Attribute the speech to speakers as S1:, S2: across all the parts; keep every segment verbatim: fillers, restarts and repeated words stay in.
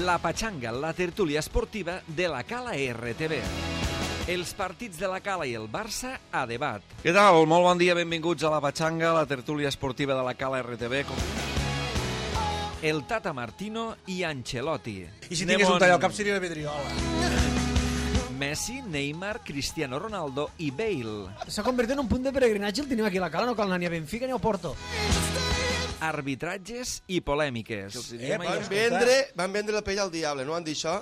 S1: La Pachanga, la tertúlia esportiva de la Cala R T V. Els partits de la Cala i el Barça a debat. Què tal? Molt bon dia, benvinguts a la Pachanga, la tertúlia esportiva de la Cala R T V. Com... El Tata Martino i Ancelotti.
S2: I si tingués un tall al cap seria la Vidriola.
S1: Messi, Neymar, Cristiano Ronaldo i Bale.
S3: S'ha convertit en un punt de peregrinatge, el tenim aquí a la Cala, no cal anar ni a Benfica ni a Porto.
S1: Arbitratges i polèmiques.
S4: Eh, van, vendre, van vendre la pell al diable, no han dit això?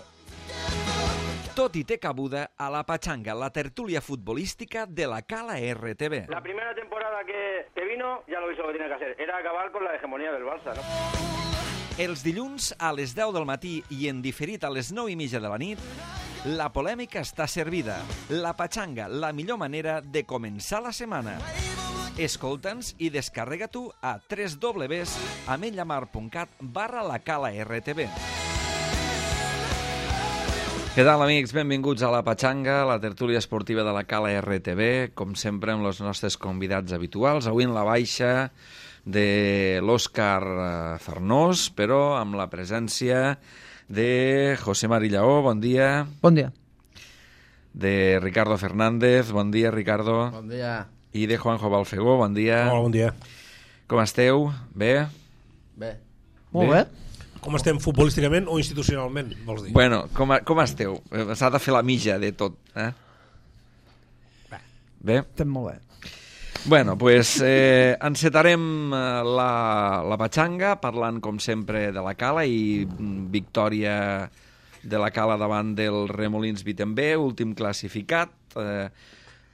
S1: Tot i té cabuda a la Pachanga, la tertúlia futbolística de la Cala R T V.
S5: La primera temporada que, que vino, ya lo hizo lo que tenía que hacer, era acabar con la hegemonía del Barça, ¿no?
S1: Els dilluns a les deu del matí i en diferit a les nou i mitja de la nit, la polèmica està servida. La Pachanga, la millor manera de començar la setmana. Escolta'ns i descarrega tu a w w w punt ametlllamar punt cat barra la Cala R T V. Què tal, amics? Benvinguts a la Pachanga, la tertúlia esportiva de la Cala R T V, com sempre amb els nostres convidats habituals. Avui en la baixa de l'Òscar Farnós, però amb la presència de José Mari Lleó, bon dia.
S3: Bon dia.
S1: De Ricardo Fernández, bon dia, Ricardo.
S6: Bon dia.
S1: I de Juanjo Balfegó, bon dia.
S2: Hola, bon dia.
S1: Com esteu? Bé?
S6: Bé.
S3: Molt bé.
S2: Com estem futbolísticament o institucionalment, vols dir?
S1: Bueno, com, com esteu? S'ha de fer la mitja de tot, eh?
S2: Bé.
S1: Bé?
S3: Estem molt bé.
S1: Bueno, pues eh, encetarem la, la Pachanga parlant, com sempre, de la Cala i victòria de la Cala davant del Remolins Vitembé, últim classificat, eh,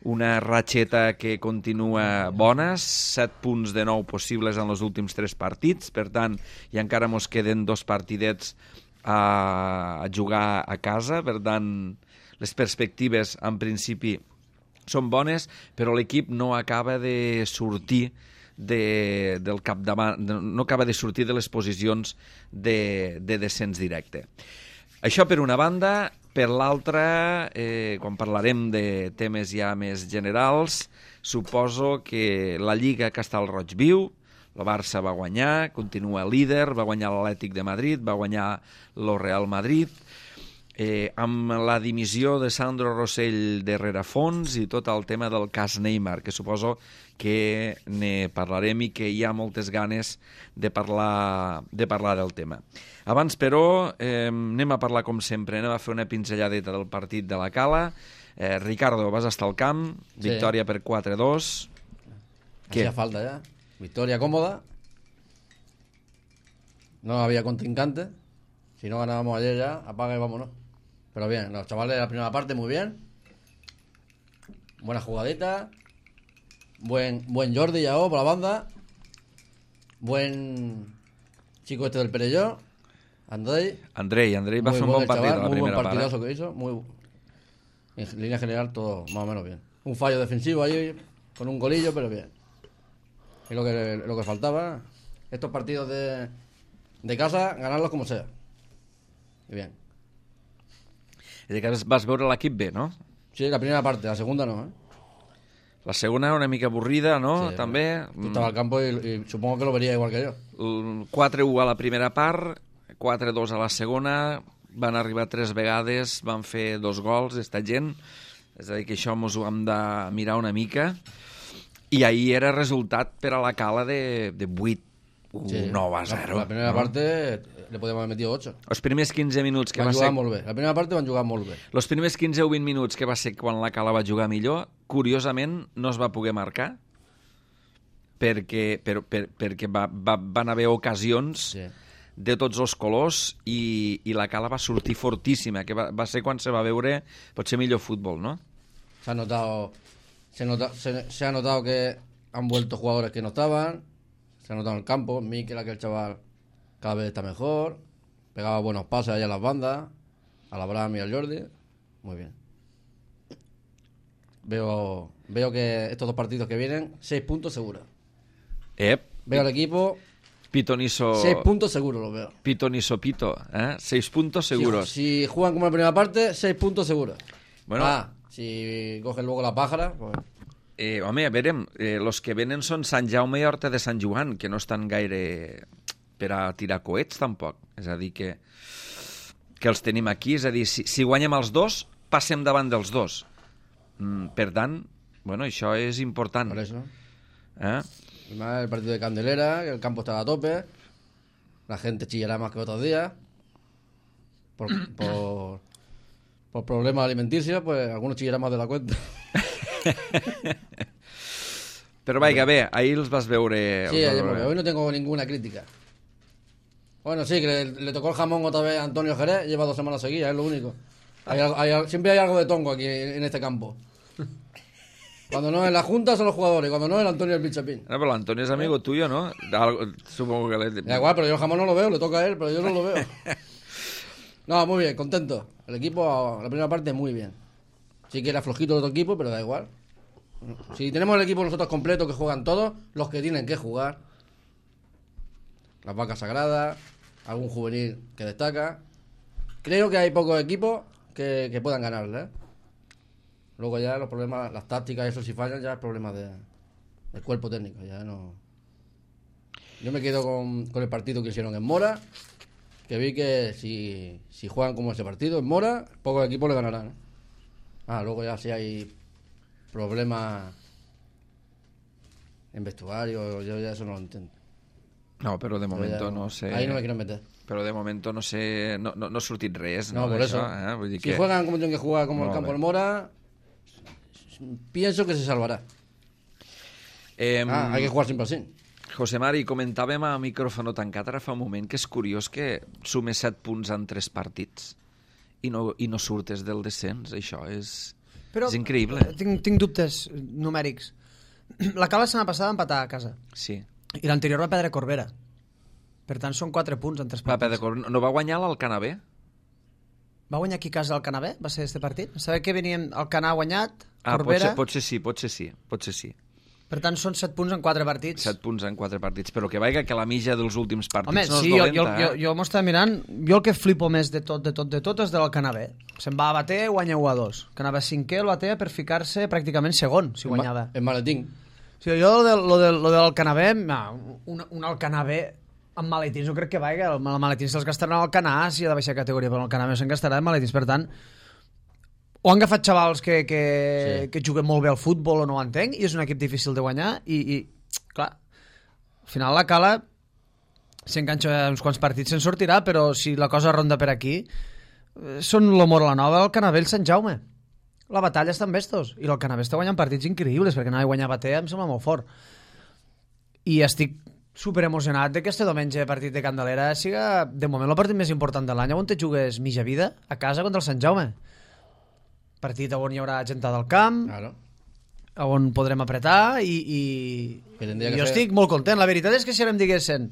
S1: una ratxeta que continua bona, set punts de nou possibles en els últims tres partits, per tant, i encara mos queden dos partidets a, a jugar a casa, per tant, les perspectives, en principi, són bones, però l'equip no acaba de sortir de, del capdavant, no acaba de sortir de les posicions de, de descens directe. Això per una banda. Per l'altra, eh, quan parlarem de temes ja més generals, suposo que la Lliga Castellroig viu, el Barça va guanyar, continua líder, va guanyar l'Atlètic de Madrid, va guanyar el Real Madrid, eh, amb la dimissió de Sandro Rosell de Rerafons i tot el tema del cas Neymar, que suposo que ne parlarem i que hi ha moltes ganes de parlar, de parlar del tema. Abans, però, eh, anem a parlar com sempre, anem a fer una pinzelladeta del partit de la Cala. Eh, Ricardo, vas estar al camp,
S6: sí.
S1: Victòria per quatre dos.
S6: Hacía falta ya. Victoria cómoda. No había contrincante. Si no ganábamos ayer ya, apaga y vámonos. Pero bien, los chavales de la primera parte muy bien. Buena jugadita. Buen, buen Jordi Yao por la banda. Buen chico este del Perelló. Andrei.
S1: Andrei, Andrei va
S6: Muy
S1: fer un
S6: bueno
S1: bon
S6: el
S1: partit
S6: chaval,
S1: a la
S6: muy buen
S1: primera part.
S6: partidazo que hizo. Muy, en línea general todo más o menos bien. Un fallo defensivo ahí con un golillo, pero bien. Es lo que, lo que faltaba. Estos partidos de, de casa, ganarlos como sea. Y bien.
S1: És que vas veure l'equip bé, no?
S6: Sí, la primera parte, la segunda no, ¿eh?
S1: La segona una mica avorrida, no?
S6: Sí,
S1: També.
S6: Tú estabas al campo y, y supongo que lo vería igual que yo.
S1: quatre u a la primera part, quatre dos a la segona, van arribar tres vegades, van fer dos gols, esta gent, és a dir, que això mos ho hem de mirar una mica, i ahir era resultat per a la Cala de, de vuit u,
S6: Sí.
S1: nou a zero.
S6: La, la primera
S1: no?
S6: parte le podíamos haber metido ocho.
S1: Els primers quinze minuts que
S6: Van
S1: va
S6: jugar
S1: ser...
S6: molt bé. La primera parte van jugar molt bé.
S1: Els primers quinze o vint minuts que va ser quan la Cala va jugar millor, curiosament no es va poder marcar, perquè, per, per, perquè va, va, van haver ocasions
S6: Sí.
S1: de tots els colors i, i la Cala va sortir fortíssima, que va, va ser quan se va veure potser millor futbol, no?
S6: Se ha notado, se, nota, se, se ha notado que han vuelto jugadores que no estaban, se ha notado en el campo, Mikel, aquel chaval, cada vez está mejor, pegaba buenos pases allá a las bandas, al Abraham y al Jordi, muy bien. Veo, veo que estos dos partidos que vienen, seis puntos seguros.
S1: Ep,
S6: Veo al equipo,
S1: Pitoniso...
S6: seis puntos seguros los veo.
S1: Pitoniso Pito, eh? Seis puntos seguros.
S6: Si, si juegan como en la primera parte, seis puntos seguros.
S1: Bueno.
S6: Ah, si cogen luego la pájara, pues...
S1: Eh, home, a veure, eh, los que venen són Sant Jaume i Horta de Sant Joan, que no estan gaire per a tirar coets, tampoc. És a dir que... que els tenim aquí, és a dir, si, si guanyem els dos, passem davant dels dos. Mm, per tant, bueno, això és important.
S6: Por eso.
S1: ¿Eh?
S6: El partido de Candelera, que el campo estaba a tope, la gente chillará más que otros días, por, por, por problemas alimenticios, pues algunos chillarán más de la cuenta.
S1: Però vaja, bé, ahir els vas veure...
S6: Sí,
S1: els vas
S6: ayer,
S1: veure.
S6: hoy no tengo ninguna crítica. Bueno, sí, que le, le tocó el jamón otra vez a Antonio Jerez, lleva dos semanas seguidas, es lo único. Hay, algo- hay al- siempre hay algo de tongo aquí en, en este campo. Cuando no es la Junta son los jugadores, cuando no es el Antonio el Pichapín.
S1: No, però l'Antoni és amigo tuyo, ¿no? Algo- supongo que... Le...
S6: Da igual, pero yo el jamón no lo veo, le toca a él, pero yo no lo veo. No, muy bien, contento. El equipo, la primera parte, muy bien. Sí que era flojito el otro equipo, pero da igual. Si tenemos el equipo nosotros completo, que juegan todos, los que tienen que jugar. Las vacas sagradas, algún juvenil que destaca. Creo que hay pocos equipos que, que puedan ganarle, ¿eh? Luego ya los problemas, las tácticas, eso si fallan, ya es problema de, del cuerpo técnico. Ya no. Yo me quedo con, con el partido que hicieron en Mora, que vi que si, si juegan como ese partido en Mora, pocos equipos le ganarán, ¿eh? Ah, luego ya si hay problemas en vestuario, yo ya eso no lo entiendo.
S1: No, però de
S6: Yo
S1: momento
S6: ya
S1: no sé...
S6: Ahí no me quiero meter.
S1: Però de momento no sé... No, no, no ha sortit res,
S6: No,
S1: no,
S6: por
S1: d'això,
S6: eso.
S1: Eh? Vull dir
S6: Si
S1: que...
S6: juegan como tienen que jugar, como el
S1: Molt
S6: campo
S1: bé.
S6: de Mora, pienso que se salvará.
S1: Eh,
S6: Ah, hay que jugar siempre así.
S1: José Mari, comentàvem a micròfono tancat ara fa un moment que és curiós que sumes set punts en tres partits i no, i no surtes del descens. Això és,
S3: Però,
S1: és increïble.
S3: Tinc, tinc dubtes numèrics. La Cala la setmana passada va empatar a casa.
S1: Sí.
S3: I l'anterior va perdre Corbera. Per tant, són quatre punts en tres
S1: Va,
S3: partits.
S1: Pedro, no va guanyar l'Alcanabé?
S3: Va guanyar aquí a casa el Canabé? Va ser este partit? Sabeu que veníem... El Canà ha guanyat,
S1: Ah,
S3: Corbera...
S1: potser, potser sí, potser sí, potser sí.
S3: Per tant, són set punts en quatre partits.
S1: Set punts en quatre partits. Però que vaiga que la mitja dels últims partits
S3: Home,
S1: no
S3: sí,
S1: és
S3: jo,
S1: dolenta.
S3: jo, jo, jo m'ho estava mirant. Jo el que flipo més de tot, de tot, de tot és del Canabé. Se'n va a bater, guanya u a dos. Canabé cinquè, el batea per ficar-se pràcticament segon, si guanyava.
S6: En maletín.
S3: O sigui, jo lo, de, lo, de, lo del Canabé, no, un, un Alcanabé amb maletins no crec que vaiga. El, el maletins se'ls gastaran al Canà si ha de baixar categoria, però el Canabé se'n gastarà en maletins. Per tant, o han agafat xavals que, que,
S6: Sí.
S3: que juguen molt bé al futbol o no ho entenc, i és un equip difícil de guanyar, i, i clar, al final la Cala s'enganxa uns quants partits, se'n sortirà, però si la cosa ronda per aquí, eh, són l'Omor la Nova, el Canabé, el Sant Jaume. La batalla està amb estos, i el Canabé està guanyant partits increïbles, perquè anar a guanyar Batea em sembla molt fort. I estic super emocionat de que este diumenge partit de Candelera siga, de moment, el partit més important de l'any, on te jugues mitja vida, a casa contra el Sant Jaume. Partit on hi haurà gent del camp,
S6: Claro.
S3: on podrem apretar, i, i,
S6: Que tindria
S3: i
S6: que
S3: jo
S6: ser-
S3: estic molt content. La veritat és que si ara em diguessin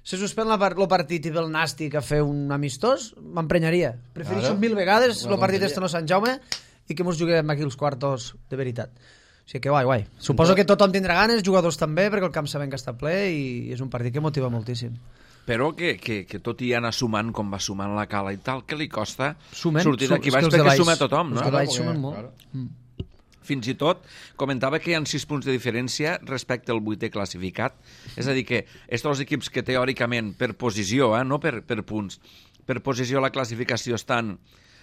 S3: se suspèn la, el partit i ve el Nàstic a fer un amistós, m'emprenyaria. Prefereixo
S6: Claro.
S3: mil vegades
S6: Una
S3: el partit
S6: tonteria.
S3: este no Sant Jaume i que mos juguem aquí els quartos de veritat. O sigui que guai, guai. Suposo que tothom tindrà ganes, jugadors també, perquè el camp sabem que està ple i és un partit que motiva moltíssim.
S1: Però que, que, que tot i anar sumant com va sumant la Cala i tal, que li costa
S3: Sumen,
S1: sortir
S3: su-
S1: d'aquí
S3: és que
S1: baix
S3: els de
S1: perquè
S3: baix-
S1: suma tothom,
S3: els
S1: no?
S3: de baix
S6: porque-
S3: sumen molt.
S6: claro.
S1: Fins i tot comentava que hi ha sis punts de diferència respecte al vuitè classificat. És a dir, que estos els equips que teòricament per posició, eh, no per, per punts, per posició a la classificació estan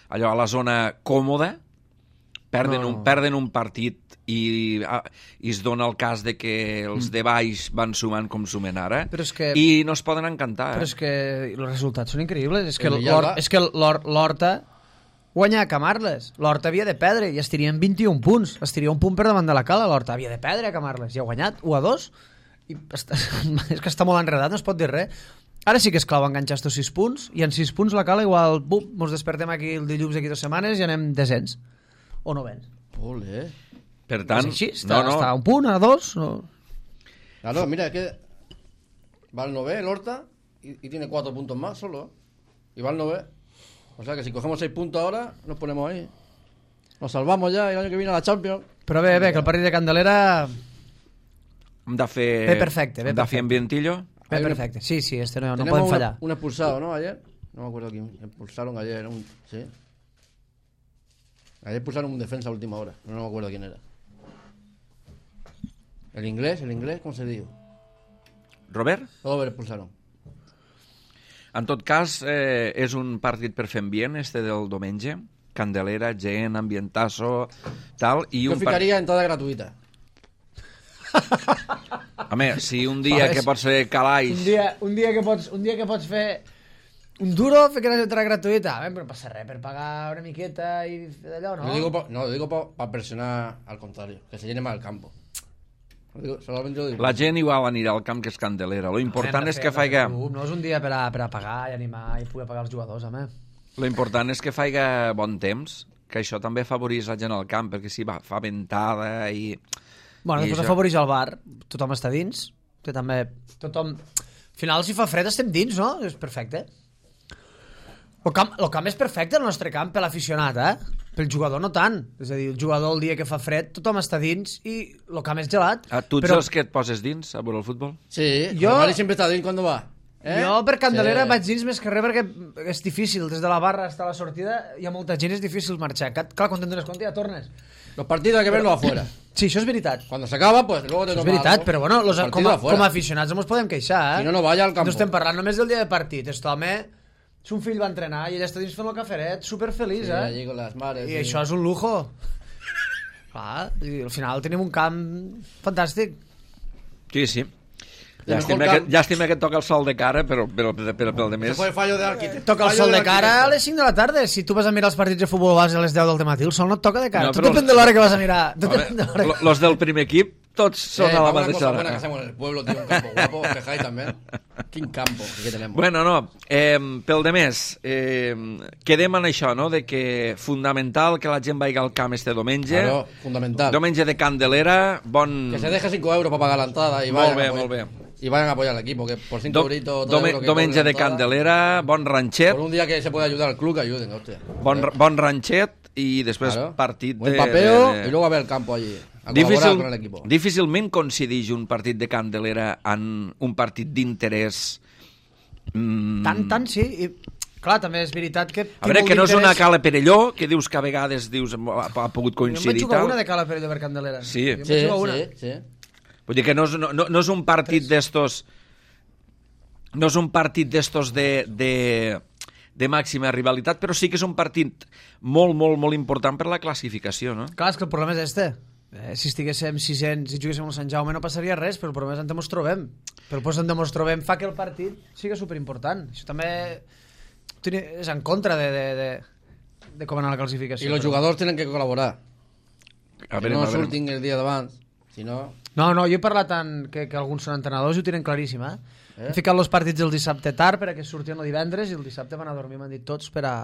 S1: allò a la zona còmoda, perden,
S3: No.
S1: un, perden un partit i, ah, i es dona el cas de que els de baix van sumant com sumen ara
S3: Però és que-
S1: i no es poden encantar.
S3: Però
S1: Eh?
S3: és que els resultats són increïbles. És que
S6: El
S3: l'Hor-
S6: Villalba-
S3: és que l'Hor- l'Horta guanya a Camarles. L'Horta havia de perdre i estirien vint-i-un punts. Estiria un punt per davant de la Cala. L'Horta havia de perdre a Camarles i ha guanyat u a dos. I està, és que està molt enredat, no es pot dir res. Ara sí que és clau enganxar estos sis punts i en sis punts la Cala igual, bum, mos despertem aquí el dilluns d'aquí dues setmanes i anem descens. O novens.
S6: Ole.
S1: Per tant,
S3: És així, està,
S1: no, no,
S3: està a un punt, a dos. No.
S6: Claro, mira, es que va al Nové, el Horta, y, y tiene cuatro puntos más solo. Y va al Nové. O sea que si cogemos seis puntos ahora, nos ponemos ahí. Nos salvamos ya y el año que viene a la Champions.
S3: Però bé, bé, que el partit de Candelera
S1: hem de fer,
S3: Ve perfecte, ve
S1: hem de fer
S3: perfecte.
S1: ambientillo.
S3: ve
S6: Hay una-
S3: perfecte. Sí, sí, este no, no
S6: Tenemos
S3: podem
S6: una-
S3: fallar.
S6: un expulsado, ¿no? Ayer. No me acuerdo quién. Expulsaron ayer. Un, sí. Ayer expulsaron un defensa a última hora. No me acuerdo quién era. ¿El inglés? ¿El inglés? ¿Cómo se dijo?
S1: Robert?
S6: Todo lo expulsaron.
S1: En tot cas, eh, és un partit per fer ambient, este del diumenge. Candelera, gent, ambientazo, tal. I
S6: Jo
S1: un
S6: ficaria entrada gratuïta.
S1: Home, si un dia que pots fer calaix...
S3: Un dia, un dia, que, pots, un dia que pots fer un duro, fer que no entrada gratuïta. A veure, no passa res per pagar una miqueta i d'allò, no?
S6: Lo digo pa, no, lo digo para presionar al contrario, que se llene más el campo. Lo digo, solamente lo digo.
S1: La gent igual anirà al camp que és Candelera. Lo important és que faiga...
S3: No és un dia per a, per a pagar i animar i poder pagar els jugadors, home.
S1: Lo important és que faiga bon temps, que això també afavorís la gent al camp, perquè si va, fa ventada i...
S3: Bueno,
S1: I
S3: després
S1: això...
S3: afavoreix el bar, tothom està dins, que també... Tothom... Al final, si fa fred, estem dins, no? És perfecte. El camp, el camp és perfecte, el nostre camp, per l'aficionat, eh? Pel jugador no tant. És a dir, el jugador el dia que fa fred, tothom està dins i el camp és gelat.
S1: Ah, tu ets
S3: però...
S1: els que et poses dins a veure el futbol?
S6: Sí,
S3: Jo-
S6: jo... Mari sempre está dins cuando va. Eh?
S3: Jo per Candelera
S6: Sí.
S3: vaig dins més que res perquè és difícil, des de la barra fins a la sortida hi ha molta gent, és difícil marxar. Clar, quan te'n dones compte ja tornes.
S6: Los partidos hay que verlos afuera.
S3: Sí, això és veritat.
S6: Cuando se acaba, pues luego te
S3: És
S6: toca
S3: veritat,
S6: algo.
S3: però bueno, los,
S6: Los
S3: com, a,
S6: partidos afuera.
S3: com a aficionats no ens podem queixar, eh?
S6: Si no, no vaya al campo.
S3: No estem parlant només del dia de partit. Este home, son fill va entrenar i ell està dins fent el caferet, superfeliç,
S6: Sí,
S3: eh?
S6: allí con las mares.
S3: I
S6: sí.
S3: això és un lujo. Clar, i al final tenim un camp fantàstic.
S1: Sí, sí.
S6: El
S1: Llàstima
S6: mejor
S1: que,
S6: camp.
S1: llàstima que et toca el sol de cara, però, però, però, però pel de
S6: Ese
S1: més...
S6: fue el fallo de arquitecto.
S3: Toca el
S6: Fallo
S3: sol de
S6: del
S3: cara a
S6: arquitecto.
S3: les cinc de la tarda. Si tu vas a mirar els partits de futbol base a les deu del dematí, el sol no et toca de cara.
S1: No,
S3: Tot
S1: però-
S3: depèn de l'hora que vas a mirar. Tot
S1: Home,
S3: depèn de l'hora
S1: lo-
S3: que...
S1: los del primer equip tots són
S6: Eh,
S1: a la
S6: una
S1: mateixa
S6: cosa
S1: hora.
S6: buena que hacemos en el pueblo, tío, un campo guapo, os quejáis también. Quin campo que tenemos.
S1: Bueno, no, eh, pel de més, eh, quedem en això, no?, de que fundamental que la gent vagi al camp este diumenge.
S6: Claro, fundamental.
S1: Diumenge de Candelera, bon...
S6: Que se deje cinco euros para pagar la entrada y
S1: Molt
S6: vayan,
S1: bé,
S6: a apoyar,
S1: molt bé.
S6: y vayan a apoyar al equipo, que por cinco
S1: Do,
S6: euritos...
S1: dome,
S6: euros que
S1: diumenge
S6: cobren
S1: de
S6: entrada,
S1: Candelera, bon ranxet,
S6: Por un día que se puede ayudar al club, que ayuden, hostia.
S1: bon, bon ranxet i després
S6: Claro.
S1: partit
S6: Buen
S1: de...
S6: papeo
S1: de, de...
S6: y luego a ver el campo allí. A
S1: Difícil,
S6: colaborar con el equipo.
S1: difícilment coincideix un partit de Candelera en un partit d'interès. Mm,
S3: Tant, tant, sí. I, clar, també és veritat que...
S1: a veure, que no és una cala Perelló, que dius que a vegades dius ha, ha pogut
S3: Jo em vaig
S1: coincidir.
S3: jugar
S1: tal.
S3: una de Cala Perelló per Candelera.
S1: Sí.
S3: Jo em
S6: Sí,
S3: vaig jugar una.
S6: sí, sí.
S1: Vull dir que no és, no, no, no és un partit d'estos... No és un partit d'estos de, de, de màxima rivalitat, però sí que és un partit molt, molt, molt important per la classificació, no?
S3: Clar, és que el problema és este. Eh, si estiguéssim sisens, si juguéssim al Sant Jaume no passaria res, però el problema és on ens trobem. Però el post on ens trobem fa que el partit sigui superimportant. Això també és en contra de, de, de, de com anar a la classificació.
S6: Y los
S3: però...
S6: jugadores tienen que colaborar.
S1: A
S6: Que
S1: veure,
S6: no
S1: a veure.
S6: surtin el dia d'abans, si no...
S3: No, no, jo he parlat tant que, que alguns són entrenadors i ho tenen claríssim, eh?
S6: Eh?
S3: He ficat els partits el dissabte tard perquè sortien el divendres i el dissabte van a dormir, m'han dit tots, per a,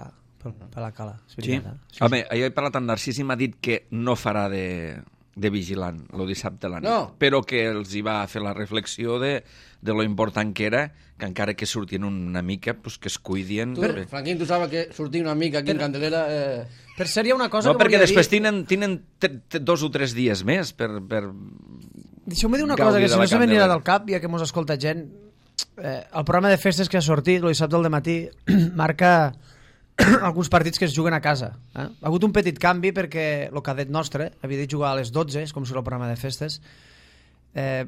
S3: per, per la cala. És
S1: Sí?
S3: veritat, eh?
S1: Home, jo he parlat amb Narcís i m'ha dit que no farà de, de vigilant el dissabte a la nit,
S6: No.
S1: però que els hi va fer la reflexió de, de lo important que era que encara que sortien una mica, pues, que es cuidien.
S6: Tu, Franquín, tu sabes que sortir una mica aquí en Candelera... Eh...
S3: Per cert, hi ha una cosa
S1: No,
S3: que
S1: perquè
S3: volia
S1: després
S3: dir...
S1: tenen, tenen t -t dos o tres dies més per... per...
S3: Deixeu-me dir una
S1: Gaudir
S3: cosa, que
S1: de
S3: si
S1: la
S3: no se m'anirà
S1: Candelera.
S3: del cap, ja que mos escolta gent, eh, el programa de festes que ha sortit, el dissabte al matí, marca alguns partits que es juguen a casa. Eh? Ha hagut un petit canvi perquè el cadet nostre havia de jugar a les dotze, és com si el programa de festes, eh,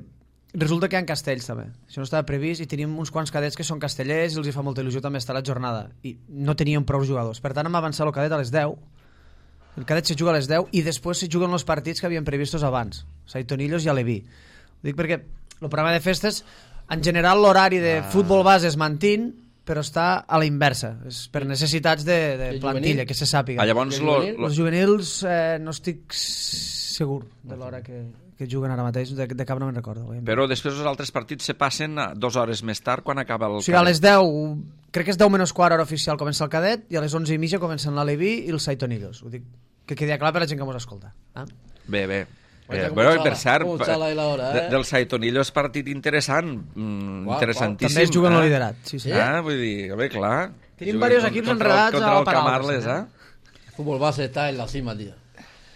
S3: resulta que hi ha castells també. Això no estava previst i tenim uns quants cadets que són castellers i els hi fa molta il·lusió també estar a la jornada i no teníem prou jugadors. Per tant, hem avançat el cadet a les deu. El cadet se juga a les deu i després se juguen els partits que havien previstos abans, Saitonillos i Aleví. Ho dic perquè el programa de festes, en general l'horari de ah. futbol base es mantín, però està a la inversa. És per necessitats de, de
S6: I
S3: plantilla,
S6: juvenil?
S3: que se sàpiga.
S1: Ah, llavors,
S6: I
S1: lo,
S6: juvenil?
S1: lo,
S3: Els juvenils eh, no estic segur de l'hora que, que juguen ara mateix, de, de cap no me'n recordo. Oi?
S1: però després els altres partits se passen a dues hores més tard quan acaba el...
S3: O sigui, a les deu, crec que és deu menys quart hora oficial comença el cadet i a les onze i mitja comencen l'Aleví i els Saitonillos. Ho dic que quedi clar per la gent que mos escolta. Eh?
S1: Bé, bé.
S6: Oye,
S1: Eh,
S6: com
S1: bueno,
S6: xala,
S1: per cert,
S6: com xala ahí la hora, eh?
S1: de, del Saitonillo és partit interessant, mm,
S6: Uau,
S1: interessantíssim.
S3: També es juguen
S1: eh?
S3: el liderat. Sí, sí.
S1: Ah, vull dir, a veure, clar.
S3: Tenim
S1: Juguen
S3: diversos
S1: con-
S3: equips
S1: contra,
S3: enredats
S1: contra
S3: a
S1: el
S3: Paraules,
S1: Camarles,
S3: eh?
S1: eh?
S6: El fútbol base está en la cima, tío.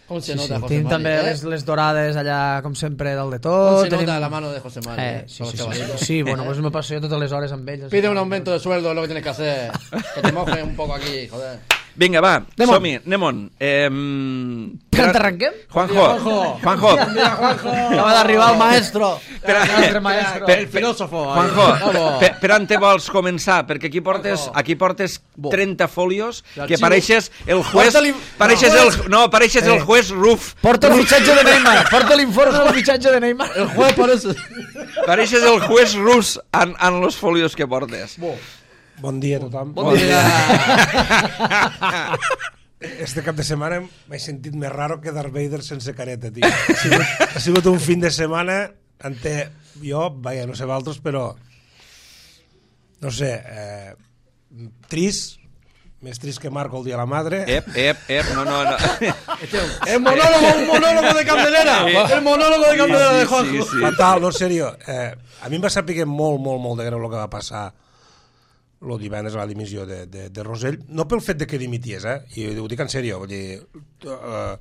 S6: ¿Cómo se
S3: Sí,
S6: nota
S3: sí.
S6: José
S3: Tenim
S6: Mari?
S3: també
S6: eh?
S3: les, les dorades allà, com sempre, dalt de
S6: ¿Cómo
S3: tot.
S6: se nota
S3: Tenim...
S6: la mano de José Mari?
S3: Eh,
S6: eh?
S3: sí,
S6: Con
S3: sí,
S6: los
S3: sí, sí,
S6: chavalitos.
S3: sí, bueno, pues me passo jo totes les hores amb ells.
S6: Pide un aumento de sueldo, es lo que tienes que hacer. Que te mojen un poco aquí, joder.
S1: Vinga, va,
S3: Anem on.
S1: som-hi, anem-on. Eh,
S3: Per on arrenquem?
S1: Juanjo, Juanjo.
S3: Acaba d'arribar el maestro.
S1: Per,
S3: El nostre maestro.
S1: per,
S6: El filósofo.
S1: Juanjo,
S6: Vamos.
S1: per, per on te vols començar? Perquè aquí portes, aquí portes trenta folios que pareixes el juez... Pareixes el, no, pareixes el juez Ruf.
S3: Porta el fitxatge de Neymar. Porta l'informe del fitxatge de Neymar.
S6: El juez parece...
S1: Pareixes el juez rus en, en los folios que portes.
S2: Bon dia a tothom.
S3: Bon dia.
S2: Este cap de setmana m'he sentit més raro que Darth Vader sense careta, tio. Ha sigut, ha sigut un fin de setmana ante jo, vaja, no sé valtros, però no sé, eh, trist, més trist que Marco el dia de la madre.
S1: Ep, ep, ep, no, no, no.
S6: El monólogo, un monólogo de Candelera. El monólogo de Candelera de Juanjo.
S1: Sí, sí.
S2: Fatal, no, en sèrio. Eh, a mi em va saber molt, molt, molt de greu el que va passar el divendres a la dimissió de, de, de Rosell, no pel fet de que dimities, eh? I ho dic en sèrio, vull dir, uh,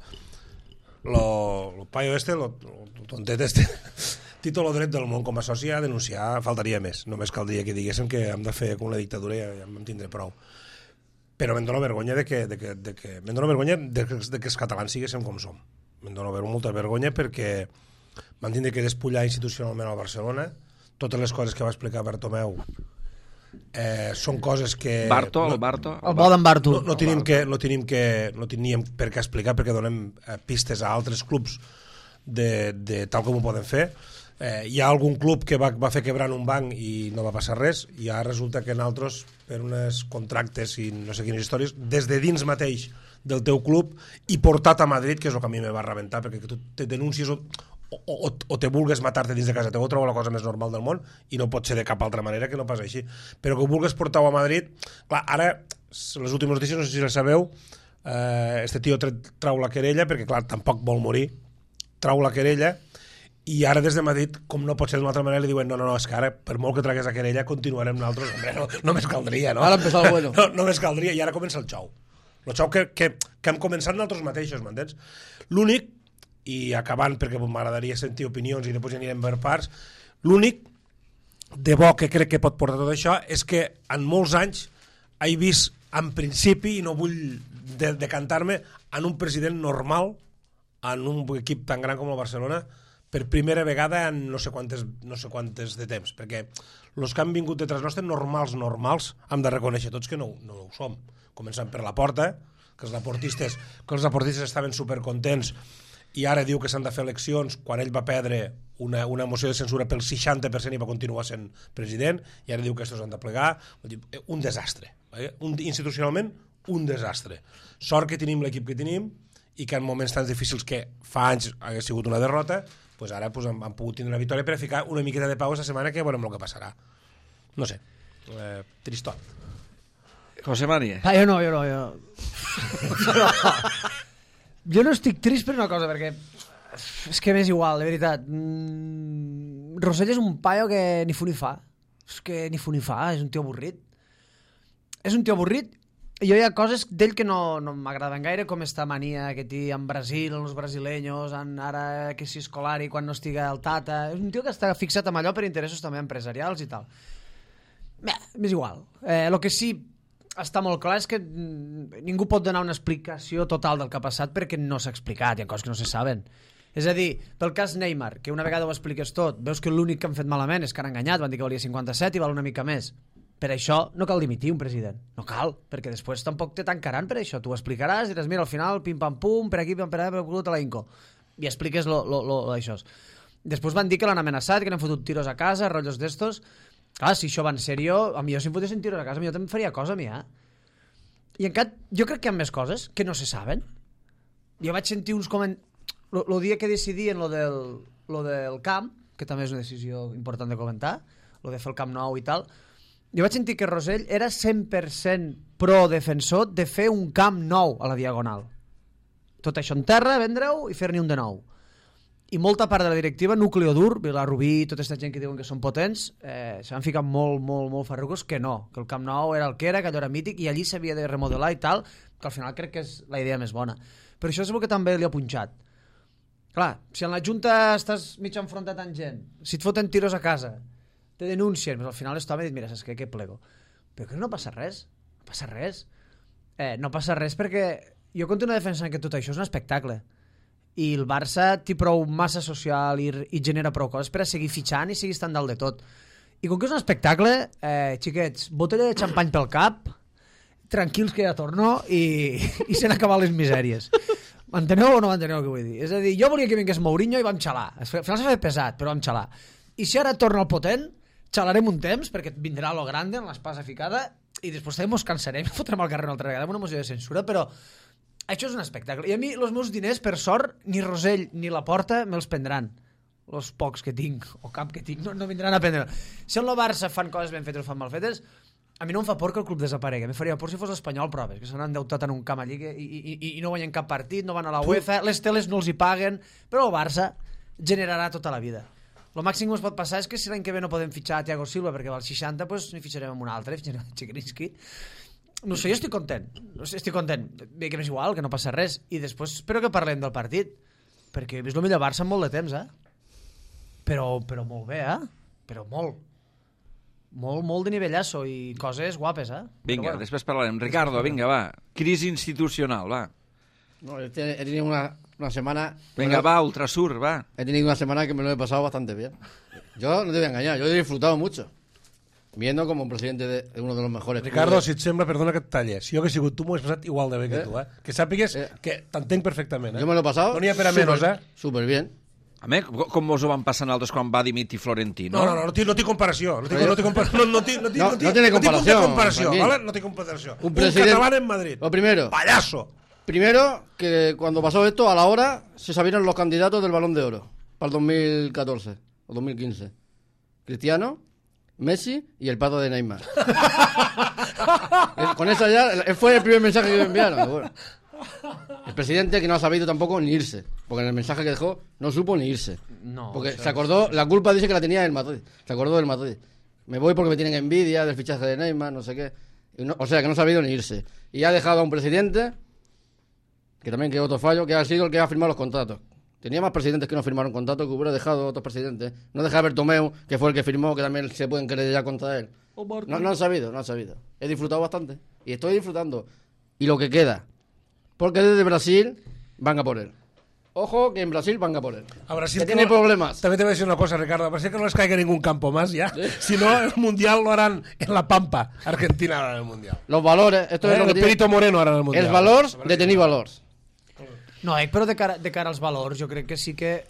S2: lo, lo paio este, lo, lo tontet este, té tot el dret del món com a soci a denunciar, faltaria més, només caldria que diguéssim que hem de fer com una dictadura i ja em tindré prou. Però me'n dóna vergonya de que, de que, de que, me'n dóna vergonya de que, de que els catalans siguéssim com som. Me'n dóna molta vergonya perquè van tindre que despullar institucionalment al Barcelona, totes les coses que va explicar Bartomeu Eh, són coses que...
S1: Barto,
S2: no,
S1: el Barto.
S3: El bo d'en Barto.
S2: No, no, tenim que, no, tenim que, no teníem per què explicar perquè donem eh, pistes a altres clubs de, de tal com ho poden fer. Eh, hi ha algun club que va, va fer quebrant un banc i no va passar res, i ara resulta que en altres, per uns contractes i no sé quines històries, des de dins mateix del teu club i portat a Madrid, que és el que a mi me va rebentar, perquè que tu te denuncies o, o, o, o te vulgues matar-te dins de casa teva, trobo la cosa més normal del món i no pot ser de cap altra manera que no pas així, però que ho vulgues portar-ho a Madrid. Clar, ara, les últimes notícies, no sé si les sabeu, eh, este tio trau la querella perquè clar, tampoc vol morir, trau la querella i ara des de Madrid, com no pot ser d'una altra manera, li diuen no, no, no, és que ara per molt que tragués la querella continuarem nosaltres, hombre, no, només caldria, no?
S6: Ara empezar el bueno.
S2: No, només caldria, i ara comença el xou. El xou que, que, que hem començat nosaltres mateixos, m'entens? L'únic, i acabant perquè m'agradaria sentir opinions i després ja anirem per parts, l'únic de bo que crec que pot portar tot això és que en molts anys he vist en principi, i no vull de, decantar-me, en un president normal en un equip tan gran com el Barcelona per primera vegada en no sé quantes, no sé quantes de temps, perquè els que han vingut detrás nostre, normals, normals, hem de reconèixer tots que no, no ho som. Començant per la Porta, que els laportistes, que els laportistes estaven supercontents i ara diu que s'han de fer eleccions quan ell va perdre una, una moció de censura pel seixanta per cent i va continuar sent president, i ara diu que estos han de plegar. Un desastre. Eh? Un, institucionalment, un desastre. Sort que tenim l'equip que tenim i que en moments tan difícils que fa anys hagués sigut una derrota, pues ara pues, han, han pogut tindre una victòria per a ficar una miqueta de pau aquesta setmana que veurem el que passarà. No sé. Eh, tristot.
S1: José María.
S3: Ah, jo no, jo no, jo no. Jo no estic trist per una cosa, perquè és que m'és igual, de veritat. Mm, Rosell és un paio que ni fu ni fa. És que ni fu ni fa, és un tio avorrit. És un tio avorrit i jo hi ha coses d'ell que no, no m'agraden gaire, com esta mania que té en Brasil, en els brasileños, en ara que si Scolari quan no estiga el Tata. És un tio que està fixat amb allò per interessos també empresarials i tal. Bé, m'és igual. Eh, el que sí està molt clar és que ningú pot donar una explicació total del que ha passat perquè no s'ha explicat, hi ha coses que no se saben. És a dir, pel cas Neymar, que una vegada ho expliques tot, veus que l'únic que han fet malament és que han enganyat, van dir que valia cinquanta-set i val una mica més. Per això no cal dimitir un president, no cal, perquè després tampoc te tancaran per això, tu ho explicaràs, diràs, mira, al final, pim-pam-pum, per aquí, pim per allà, per culut a la Inco, i expliques lo, lo, lo, lo d'això. Després van dir que l'han amenaçat, que n'han fotut tiros a casa, rotllos d'estos. Clar, si això va en sèrio, a mi jo si em fotessin tiros a casa, a mi jo també faria cosa a mi, eh? I encara, jo crec que hi ha més coses que no se saben. Jo vaig sentir uns comentaris... El dia que decidien lo del, lo del camp, que també és una decisió important de comentar, lo de fer el Camp Nou i tal, jo vaig sentir que Rosell era cent per cent pro-defensor de fer un camp nou a la Diagonal. Tot això en terra, vendre-ho i fer-n'hi un de nou. I molta part de la directiva, núcleo dur, Vilarrubí, tota aquesta gent que diuen que són potents, eh, s'han ficat molt, molt, molt farrucos que no, que el Camp Nou era el que era, que allò era mític i allí s'havia de remodelar i tal, que al final crec que és la idea més bona. Però això és el que també li ha punxat. Clar, si en la Junta estàs mig enfrontat amb gent, si et foten tiros a casa, te denuncien, però al final l'home ha dit, mira, saps què, que plego. Però que no passa res, no passa res. eh, no passa res perquè jo continuo defensant que tot això és un espectacle i el Barça té prou massa social i, i genera prou coses per a seguir fitxant i seguir estant dalt de tot. I com que és un espectacle, eh, xiquets, botella de xampany pel cap, tranquils que ja torno i, i s'han acabat les misèries. M'enteneu o no m'enteneu el que vull dir? És a dir, jo volia que vingués Mourinho i vam xalar. Al final s'ha fet pesat, però vam xalar. I si ara torna el potent, xalarem un temps perquè vindrà lo grande en l'espasa ficada i després també mos cansarem i fotrem al carrer una altra vegada amb una moció de censura, però això és un espectacle. I a mi, els meus diners, per sort, ni Rosell ni la Porta me'ls prendran. Els pocs que tinc, o cap que tinc, no, no vindran a prendre. Si en el Barça fan coses ben fetes o fan mal fetes, a mi no em fa por que el club desaparegui. Me faria por si fos l'Espanyol, proves, que s'han endeutat en un camp allí que, i, i, i no guanyen cap partit, no van a la UEFA, les teles no els hi paguen, però el Barça generarà tota la vida. El màxim que ens pot passar és que si l'any que ve no podem fitxar a Thiago Silva perquè val seixanta, doncs n'hi fitxarem amb un altre, fitxarem a Chigrinsky. No sé, jo estic content. No sé, estic content. Bé, que m'és igual, que no passa res. I després espero que parlem del partit, perquè he vist el millor Barça en molt de temps, eh? Però, però molt bé, eh? Però molt. Molt, molt de nivellasso i coses guapes, eh?
S1: Vinga,
S3: bueno.
S1: després parlarem. Ricardo, vinga, va. Crisi institucional, va.
S6: No, he tenido una, una semana...
S1: Venga, va, Ultrasur, va.
S6: He tenido una semana que me lo he pasado bastante bien. Yo no te voy a engañar, yo he disfrutado mucho. Viendo como presidente de uno de los mejores
S2: Ricardo,
S6: clubes.
S2: si et sembla, perdona que et talli. Si jo hagués sigut tu, m'ho he passat igual de bé que
S6: Eh?
S2: tu, eh? Que sàpigues
S6: Eh?
S2: que t'entenc perfectament, eh?
S6: Yo me lo he pasado
S2: No n'hi ha per a
S6: súper-
S2: menys, eh?
S6: súper bien.
S1: A mi, com mos ho van passar nosaltres quan va dimitir Florentino?
S2: No, no, no, no, té, no té comparació. No té,
S6: Pero-
S2: no té comparació. No, no, té, no, té,
S6: No,
S2: no, té,
S6: no tiene
S2: no té punt de
S6: comparación,
S2: comparació,
S6: tranquilo.
S2: ¿vale? No té comparació.
S6: Un
S2: Un,
S6: president-
S2: catalán en Madrid.
S6: Lo primero,
S2: Payaso.
S6: primero que cuando pasó esto, a la hora se sabieron los candidatos del Balón de Oro para el dos mil catorce o dos mil quince. Cristiano, Messi y el pato de Neymar. Eh, Con esa ya, él fue el primer mensaje que me enviaron. Bueno, el presidente que no ha sabido tampoco ni irse, porque en el mensaje que dejó no supo ni irse.
S3: No,
S6: Porque
S3: això
S6: se acordó, la culpa dice que la tenía el Madrid. Se acordó del Madrid. Me voy porque me tienen envidia del fichaje de Neymar, no sé qué. Y no- o sea, que no ha sabido ni irse. Y ha dejado a un presidente, que también que otro fallo, que ha sido el que ha firmado los contratos. Tenía más presidentes que no firmaron contratos, que hubiera dejado a otros presidentes. No deja a Bertomeu, que fue el que firmó, que también se pueden creer ya contra él. No, no han sabido, no han sabido. He disfrutado bastante. Y estoy disfrutando. Y lo que queda. Porque desde Brasil van a por él. Ojo que en Brasil van a por él.
S2: A Brasil
S6: que tiene
S2: no-
S6: problemas.
S2: También te voy a decir una cosa, Ricardo. A Brasil que no les caiga ningún campo más ya. Si no, el Mundial lo harán en La Pampa. Argentina hará el Mundial.
S6: Los valores, esto es
S2: Eh,
S6: lo que
S2: el
S6: tiene.
S2: Perito Moreno hará el Mundial.
S6: Els valors de tenir valors.
S3: No, eh, però de cara, de cara als valors jo crec que sí que,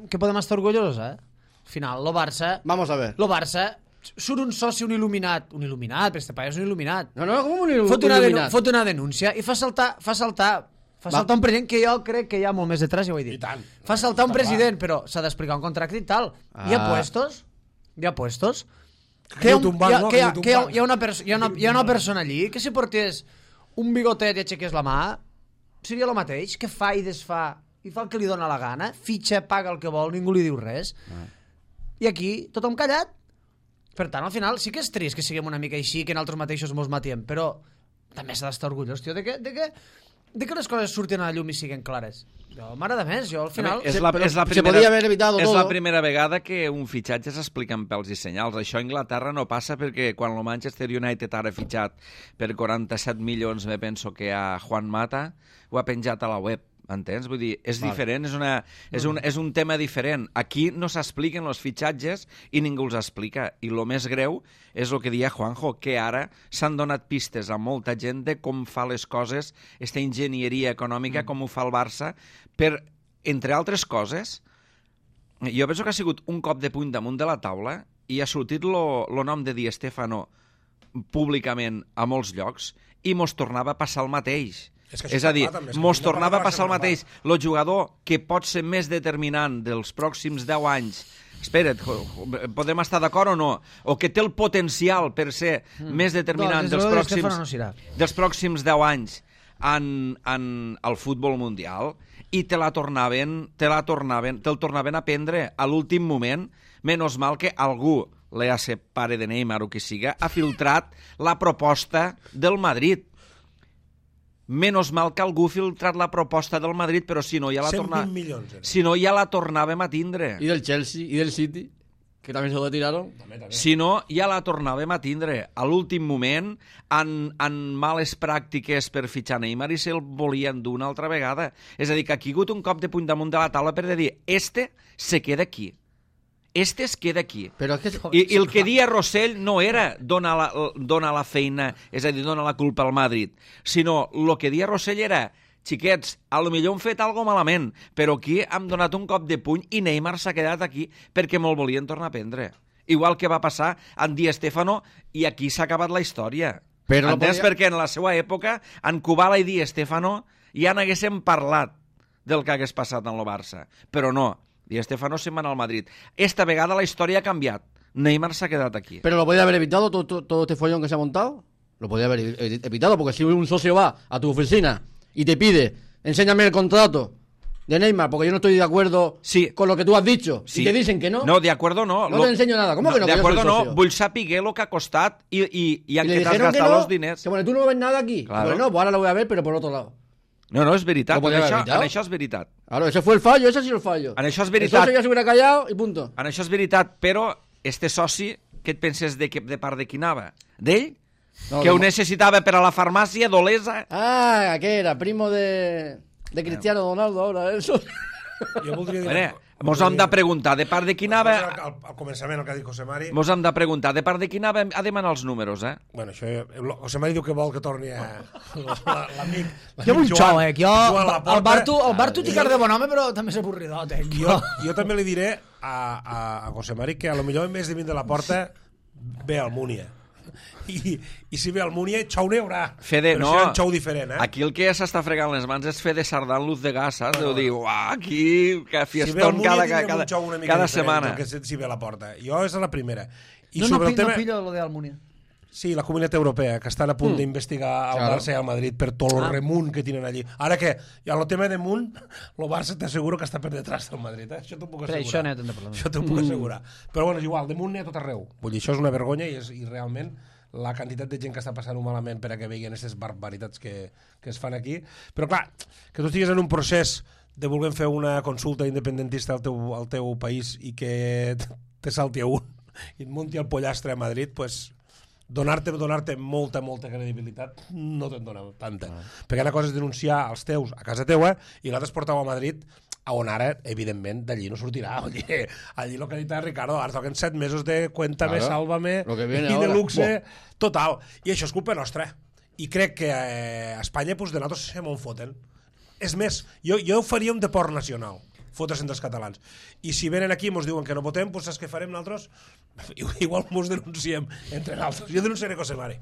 S3: que podem estar orgullosos, eh? Al final, lo Barça...
S6: Vamos a ver.
S3: Lo Barça surt un soci, un il·luminat, un il·luminat, però este paio és un il·luminat.
S6: No, no, com un il-
S3: Fot una, denu
S6: il·luminat?
S3: fot una denúncia i fa saltar, fa saltar, fa
S6: Va.
S3: saltar un president que jo crec que hi ha molt més detrás, ja ho he dit.
S2: I tant.
S3: Fa saltar un
S2: Està
S3: president, però s'ha d'explicar un contracte i tal. Hi ha
S6: Ah.
S3: puestos, hi ha puestos,
S2: Que
S3: que hi ha,
S2: diu
S3: un,
S2: Tumbang,
S3: hi ha,
S2: no?
S3: que hi ha,
S2: Que diu
S3: que hi ha,
S2: Tumbang.
S3: hi ha, una, perso hi ha, una, hi ha una persona allí que si portés un bigotet i aixequés la mà seria el mateix, que fa i desfà i fa el que li dóna la gana, fitxa, paga el que vol, ningú li diu res. I aquí tothom callat. Per tant, al final sí que és trist que siguem una mica així, que nosaltres mateixos mos matiem, però també s'ha d'estar orgullós, tio, de que, de que, de que les coses surtin a la llum i siguen clares. Jo m'agrada més, jo al final...
S1: És la, és la
S6: se
S1: primera,
S6: podía haber evitado
S1: és
S6: todo.
S1: la primera vegada que un fitxatge s'explica amb pèls i senyals. Això a Anglaterra no passa perquè quan el Manchester United ara ha fitxat per quaranta-set milions, me penso que a Juan Mata, ho ha penjat a la web. Entens? Vull dir, és
S6: Vale.
S1: diferent, és, una, és, un, és un tema diferent. Aquí no s'expliquen els fitxatges i ningú els explica. I el més greu és el que deia Juanjo, que ara s'han donat pistes a molta gent de com fa les coses, esta enginyeria econòmica, mm. com ho fa el Barça, per, entre altres coses, jo penso que ha sigut un cop de puny damunt de la taula i ha sortit el nom de Di Stéfano públicament a molts llocs i mos tornava a passar el mateix.
S2: És que això
S1: És a dir,
S2: està clar, també, és que
S1: mos
S2: hem de
S1: tornava
S2: parlar
S1: a passar el
S2: de la
S1: mateix. El jugador que pot ser més determinant dels pròxims deu anys, espera't, jo- jo- podem estar d'acord o no, o que té el potencial per ser mm. més determinant
S3: No, des de
S1: dels,
S3: luego Di
S1: pròxims,
S3: Stéfano no serà.
S1: dels pròxims deu anys en, en el futbol mundial i te la tornaven, te la tornaven, te'l tornaven a prendre a l'últim moment, menys mal que algú, l'E A C pare de Neymar o qui siga, ha filtrat la proposta del Madrid. Menos mal que algú ha filtrat la proposta del Madrid, però si no ja la
S2: cent vint
S1: tornava...
S2: milions. Era.
S1: Si no ja la tornàvem a tindre.
S6: Y del Chelsea y del City. que també se lo tiraron.
S1: Si no, ja la tornàvem a tindre. A l'últim moment, en, en males pràctiques per fitxar Neymar i se'l volien dur una altra vegada. És a dir, que ha caigut un cop de puny damunt de la taula per dir, este se queda aquí. Este es queda aquí.
S6: Però és que...
S1: I, I el que dia Rossell no era donar la, donar la feina, és a dir, donar la culpa al Madrid, sinó el que dia Rossell era, xiquets, a lo millor hem fet algo malament, però aquí hem donat un cop de puny i Neymar s'ha quedat aquí perquè me'l volien tornar a prendre. Igual que va passar amb Di Stéfano i aquí s'ha acabat la història.
S6: Però no
S1: Entens?
S6: podia...
S1: Perquè en la seva època, en Kubala i Di Stéfano ja n'haguéssim parlat del que hagués passat en el Barça. Però no. Di Stéfano se'n va anar al Madrid. Esta vegada la història ha canviat. Neymar s'ha quedat aquí.
S6: Pero lo podía haber evitado todo, todo, todo este follón que se ha montado. Lo podía haber evitado, porque si un socio va a tu oficina y te pide, enséñame el contrato de Neymar, porque yo no estoy de acuerdo
S1: sí.
S6: con lo que tú has dicho,
S1: sí.
S6: y te dicen que no.
S1: No, de acuerdo no.
S6: No
S1: lo...
S6: te enseño nada. ¿Cómo
S1: no,
S6: que no?
S1: De
S6: que
S1: acuerdo
S6: yo soy
S1: no.
S6: socio?
S1: Vull saber lo que ha costat i, i, i en
S6: y le
S1: què t'has
S6: dijeron que
S1: gastat
S6: no,
S1: els diners.
S6: que bueno, tú no ves nada aquí.
S1: Claro.
S6: Bueno, pues ahora lo voy a ver, pero por otro lado.
S1: No, no, és veritat.
S6: Lo podía
S1: En
S6: haber
S1: això,
S6: evitado.
S1: en això és veritat.
S6: Claro, ese fue el fallo, ese ha sido el fallo.
S1: En això és
S6: El
S1: veritat.
S6: socio ya se hubiera callado y punto.
S1: En això és veritat, però este soci, què et penses de, que, de part de qui anava? D'ell?
S6: No,
S1: que ho
S6: no.
S1: necessitava per a la farmàcia d'Olesa?
S6: Ah, ¿qué era? Primo de, de Cristiano Ronaldo ahora, eso.
S2: Jo voldria dir...
S1: Mira, mos hem de preguntar de part de qui anava...
S2: Al, al començament, el que ha dit José Mari...
S1: Mos hem de preguntar de part de qui anava a demanar els números, eh?
S2: Bueno, això... José Mari diu que vol que torni a... L'amic...
S3: Jo vull xou, eh? Jo,
S2: Joan Laporta.
S3: el Bartu, el Bartu té cara de bon home, però també és avorridot, eh?
S2: Jo, jo també li diré a, a, a José Mari que a lo millor en vez de vindre de la porta ve al Múnia. I, i si ve al Múnia, xou n'hi haurà.
S1: Fede,
S2: però
S1: no,
S2: serà un xou diferent, eh?
S1: aquí el que s'està fregant les mans és fer de sardà en luz de gas, saps? Deu dir, uah, aquí, que
S2: Si ve al
S1: fiestón
S2: Múnia,
S1: cada,
S2: tindrem
S1: cada,
S2: un xou una mica
S1: cada
S2: diferent
S1: setmana.
S2: del que si, si ve a la porta. Jo és la primera. I
S3: No, no,
S2: sobre
S3: pillo,
S2: el tema...
S3: no pillo lo de Almunia.
S2: Sí, la Comunitat Europea, que estan a punt mm. d'investigar el
S6: Claro.
S2: Barça i el Madrid per tot el
S3: Ah.
S2: remunt que tenen allí. Ara que, i el tema de munt, el Barça t'asseguro que està per detrás del Madrid, eh? Això t'ho puc
S3: Per
S2: assegurar.
S3: això n'hi ha tant de problema.
S2: Això t'ho puc assegurar. Però bueno, és igual, de munt n'hi ha tot arreu. Vull dir, això és una vergonya i, és, i realment la quantitat de gent que està passant-ho malament per a que veien aquestes barbaritats que, que es fan aquí. Però clar, que tu estigues en un procés de voler fer una consulta independentista al teu, al teu país i que te salti a un i et munti el pollastre a Madrid, pues, donar-te donar-te molta, molta credibilitat no te'n dona tanta. Ah. Perquè una cosa és denunciar els teus a casa teua i l'altre és portar-ho a Madrid, a on ara, evidentment, d'allí no sortirà. Allí, allí el que ha dit Ricardo, ara toquen set mesos de Cuéntame,
S6: Claro.
S2: Sálvame
S6: Lo que viene
S2: i de
S6: ahora.
S2: luxe,
S6: Buah.
S2: total. I això és culpa nostra. I crec que eh, a Espanya pues, de nosaltres se m'ho foten. És més, jo, jo faria un deport nacional, fotre-se'n dels catalans. I si venen aquí i ens diuen que no votem, doncs saps què farem nosaltres? Igual ens denunciem entre nosaltres. Jo denunciaré José Mari.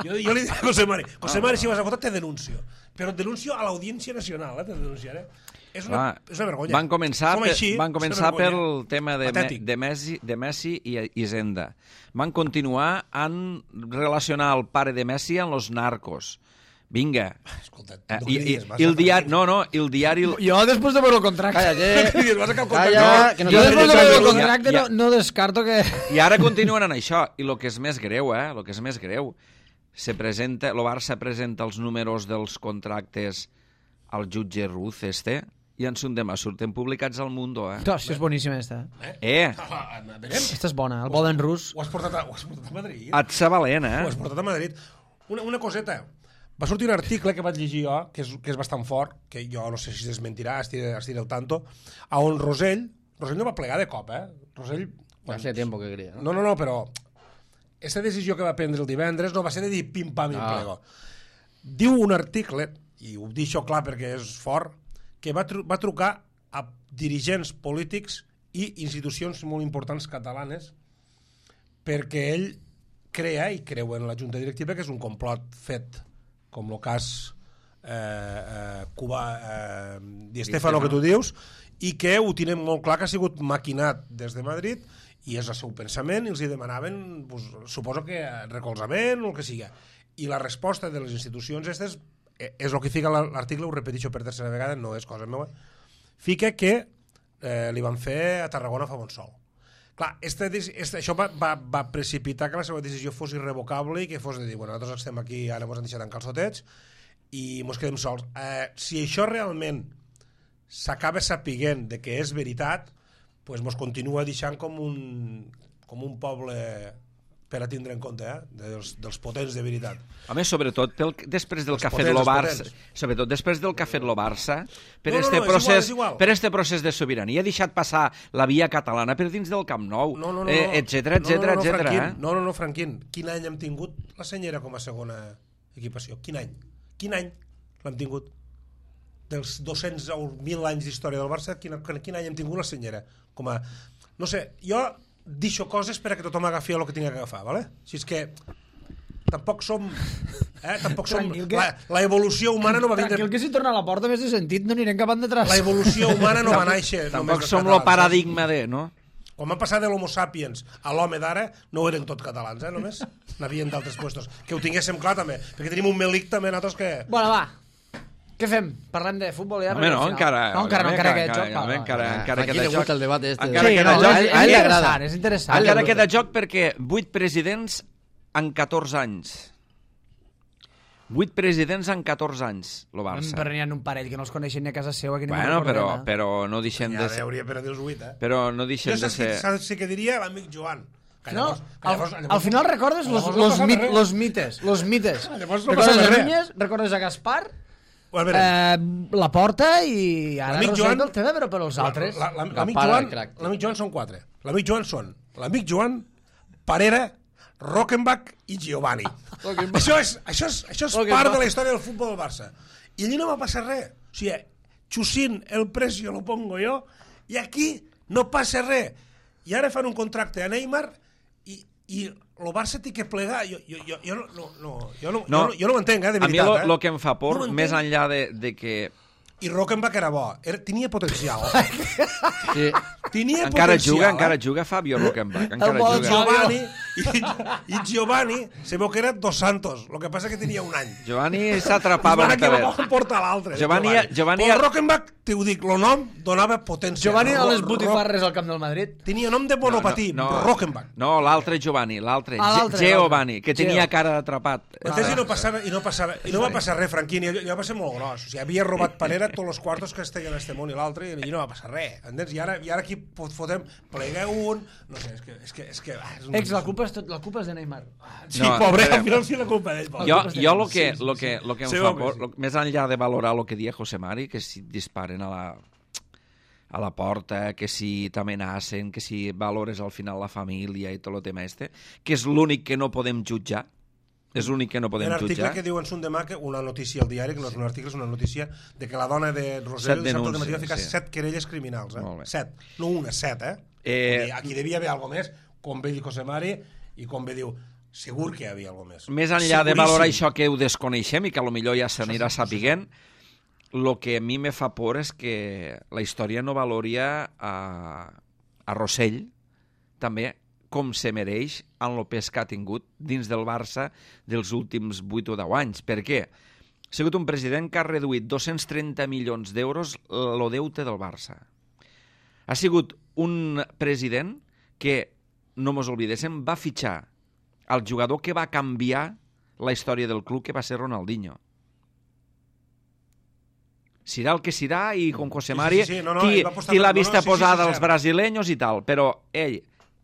S2: Jo, jo li diré a José Mari, José Mari, si vas a votar, te denuncio. Però et denuncio a l'Audiència Nacional, eh? Te denunciaré. És una,
S1: Va,
S2: és una vergonya.
S1: Van començar,
S2: Som
S1: per,
S2: així,
S1: van
S2: és una
S1: començar
S2: vergonya.
S1: pel tema de, me,
S2: Patètic.
S1: de, Messi, de Messi i Hisenda. Van continuar en relacionar el pare de Messi amb los narcos. Vinga.
S2: Escolta,
S1: Eh,
S2: no
S1: i, i,
S2: cridis, vas
S1: i el
S2: a-
S1: diari... No, no, el diari...
S3: Jo, després de veure el contracte...
S6: Cállate.
S2: cridis, vas a cal
S6: Calla,
S2: contracte.
S6: que no
S3: Jo
S6: te
S3: després de
S6: dejes
S3: veure el
S6: de-
S3: contracte
S1: Ja,
S3: no, no descarto que...
S1: I ara continuen en això. I el que és més greu, eh? El que és més greu, se presenta, el Barça presenta els números dels contractes al jutge Ruz, este, i en son demà surten publicats al Mundo, eh?
S3: Hòstia, és boníssima, esta.
S1: Eh,
S2: Ah, veurem.
S3: Esta és bona, el Boden rus.
S2: Ho has portat a, ho has portat a Madrid?
S1: et sa valent,
S2: Ho has
S1: eh?
S2: portat a Madrid. Una, una coseta. Va sortir un article que vaig llegir jo, que és, que és bastant fort, que jo no sé si es desmentirà, estiré, estiré el tanto, a on Rosell, Rosell no va plegar de cop, eh? Rosell...
S6: Hace tiempo que quería, ¿no?
S2: No, no, no, però aquesta decisió que va prendre el divendres no va ser de dir pim-pam i
S6: Ah.
S2: plego. Diu un article, i ho dic això clar perquè és fort, que va, tru va trucar a dirigents polítics i institucions molt importants catalanes perquè ell crea i creu en la junta directiva que és un complot fet com el cas eh, eh, Cuba eh, Di Stéfano que tu dius i que ho tenen molt clar que ha sigut maquinat des de Madrid i és el seu pensament i els hi demanaven pues, suposo que recolzament o el que siga i la resposta de les institucions aquestes eh, és el que fica l'article, ho repeteixo per tercera vegada, no és cosa meva, fica que eh, li van fer a Tarragona fa bon sol. Clar, este, este, això va, va, va precipitar que la seva decisió fos irrevocable i que fos de dir, bueno, nosaltres estem aquí, ara ens han deixat en calçotets i ens quedem sols. Eh, si això realment s'acaba sapiguent de que és veritat, pues mos continua deixant com un, com un poble per a tindre en compte, eh? dels, dels potents de veritat.
S1: A més, sobretot, pel, després del
S2: Els
S1: que ha fet
S2: potents,
S1: lo
S2: els
S1: Barça,
S2: potents.
S1: sobretot després del que ha fet lo Barça, per,
S2: No, no,
S1: este
S2: no, és
S1: procés,
S2: igual, és igual.
S1: per este procés de sobirania, ha deixat passar la via catalana per dins del Camp Nou,
S2: No, no, no,
S1: eh,
S2: no.
S1: etcètera, etcètera,
S2: no, no, no,
S1: etcètera.
S2: Franquín,
S1: Eh?
S2: no, no, no, Franquín. Quin any hem tingut la senyera com a segona equipació? Quin any? Quin any l'hem tingut? Dels dos-cents o mil anys d'història del Barça, quin, quin any hem tingut la senyera? Com a... No sé, jo deixo coses per a que tothom agafi el que tingui que agafar, ¿vale? Si és que tampoc som... Eh? Tampoc som...
S3: Tranquil, que-
S2: La, la evolució humana no va vindre...
S3: Tranquil, que si torna a la porta més de sentit no anirem cap endarrere.
S2: La evolució humana no va néixer...
S1: Tampoc
S2: només dels
S1: som lo
S2: catalans,
S1: paradigma de, no?
S2: Quan van passar de l'homo sapiens a l'home d'ara, no eren tot catalans, eh, només. N'havien d'altres puestos. Que ho tinguéssim clar, també. Perquè tenim un melic, també, nosaltres, que...
S3: Bueno, va. Què fem? Parlem de futbol ja?
S1: Home, no,
S3: Al final-
S1: encara...
S3: No, encara no, encara aquest joc.
S1: Home,
S3: va, va.
S1: encara, encara
S6: Aquí
S1: queda
S6: le gusta
S1: joc.
S6: el debate este.
S1: Encara
S3: Sí,
S1: queda
S3: no,
S1: joc.
S3: és,
S6: A ell li
S3: és
S6: agrada.
S3: interessant, és interessant.
S1: Encara queda joc perquè vuit presidents en catorze anys. Vuit presidents en catorze anys, lo Barça.
S3: Però n'hi ha un parell que no els coneixen ni a casa seva. Que ni
S1: Bueno,
S3: me'n
S1: però,
S3: recordem, eh?
S1: però no deixem
S2: Ja
S1: de ser...
S2: hauria per a dir els vuit, eh?
S1: Però no deixem
S2: Jo
S1: de
S2: saps qui,
S1: ser...
S2: saps qui que diria? L'amic Joan. Que
S3: No,
S2: llavors- que
S3: al,
S2: llavors-
S3: al
S2: llavors-
S3: final recordes los,
S2: llavors no
S3: los,
S2: passava
S3: mit,
S2: res.
S3: los mites, los mites.
S2: Llavors no
S3: Recordes
S2: passava
S3: a
S2: res.
S3: Núñez, recordes a Gaspar,
S2: Bueno, a veure,
S3: eh, la porta i ara
S2: L'amic
S3: Rosell
S2: Joan-
S3: el té de veure per als altres.
S2: la- la- l'amic
S6: Gaspar,
S2: Joan,
S6: el crac.
S2: l'amic Joan són quatre. L'amic Joan són l'amic Joan, Parera, Rockenbach i Giovanni. això és, això és, això és part de la història del futbol del Barça. I allí no va passar res. O sigui, Chusín, el precio lo pongo jo, i aquí no passa res. I ara fan un contracte a Neymar i, i el Barça té que plegar. Jo, jo, jo, jo, no, no, no, jo, no,
S1: No,
S2: jo, no, jo no ho entenc, eh, de
S1: A mi
S2: veritat.
S1: el
S2: eh?
S1: que em fa por,
S2: No ho
S1: més
S2: entenc.
S1: enllà de, de que
S2: I Rockenbach era bo. Era, tenia potencial.
S6: Sí.
S2: Tenia
S1: encara
S2: potencial,
S1: juga,
S2: eh?
S1: encara juga Fabio Rockenbach, encara
S3: El bon
S1: juga.
S2: Giovanni i, i Giovanni se veu que era dos Santos, el que passa que tenia un any.
S1: Giovanni s'atrapava
S2: Van
S1: un
S2: aquí
S1: talet.
S2: van portar l'altre. eh,
S1: Giovanni- Giovanni-
S2: Però el Rockenbach, te ho dic, el nom donava potència.
S3: Giovanni a
S2: Ro-
S3: les
S2: Ro-
S3: botifarres al camp del Madrid.
S2: Tenia nom de monopatí,
S1: no, no,
S2: Rockenbach.
S1: No, l'altre Giovanni, l'altre,
S3: Ah,
S1: Ge-
S3: l'altre,
S1: Giovanni,
S3: l'altre.
S1: que tenia
S3: Geo.
S1: cara d'atrapat.
S2: Entens? I no passava, i no passava, i no va passar res, Franquini, jo, jo va ser molt gros. O sigui, havia robat Parera tots els quartos que es tenien en este món i l'altre, i allí no va passar res. Entens? I ara, i ara aquí fot- fotem, plega un... No sé, és que... És que, és que ah, és un...
S3: Ex, la culpa és, tot, la culpa és de Neymar.
S2: Sí,
S1: No,
S2: pobre,
S1: eh,
S2: al final sí la culpa d'ell. pobre.
S1: Jo,
S3: culpa és
S1: jo
S3: de-
S1: lo que,
S3: sí,
S1: lo que, lo que em
S2: Sí,
S1: fa
S2: home,
S1: por,
S2: sí.
S1: lo, més enllà de valorar el que dia José Mari, que si disparen a la, a la porta, que si t'amenacen, que si valores al final la família i tot el tema este, que és l'únic que no podem jutjar, és l'únic que no
S2: Hi
S1: podem
S2: ha un article
S1: jutjar.
S2: que diu en Sun Demà, que una notícia al diari, que no és un article, és una notícia, de que la dona de
S1: Set
S2: Rosselló dissabte al matí va
S1: denúncies,
S2: ficar
S1: sí.
S2: set querelles criminals. Eh?
S1: Molt bé.
S2: Set. No una, set, eh?
S1: Eh,
S2: Vull dir, aquí devia haver alguna més, com bé diu José Mari, i com bé diu, segur que hi havia alguna més.
S1: Més enllà de
S2: Seguríssim.
S1: valorar això que ho desconeixem i que potser ja s'anirà sapiguent, el que a mi me fa por és que la història no valoria a, a Rossell també com se mereix en el pes que ha tingut dins del Barça dels últims vuit o deu anys. Per què? Ha sigut un president que ha reduït dos-cents trenta milions d'euros el deute del Barça. Ha sigut un president que, no mos oblidéssim, va fitxar el jugador que va canviar la història del club, que va ser Ronaldinho. Serà el que serà, i com José Mari,
S2: Sí, sí, sí, no, no,
S1: qui,
S2: ell va apostar
S1: qui l'ha
S2: per- no,
S1: vist
S2: no, sí, sí,
S1: posada
S2: sí,
S1: als
S2: cert.
S1: brasileños i tal, però ell,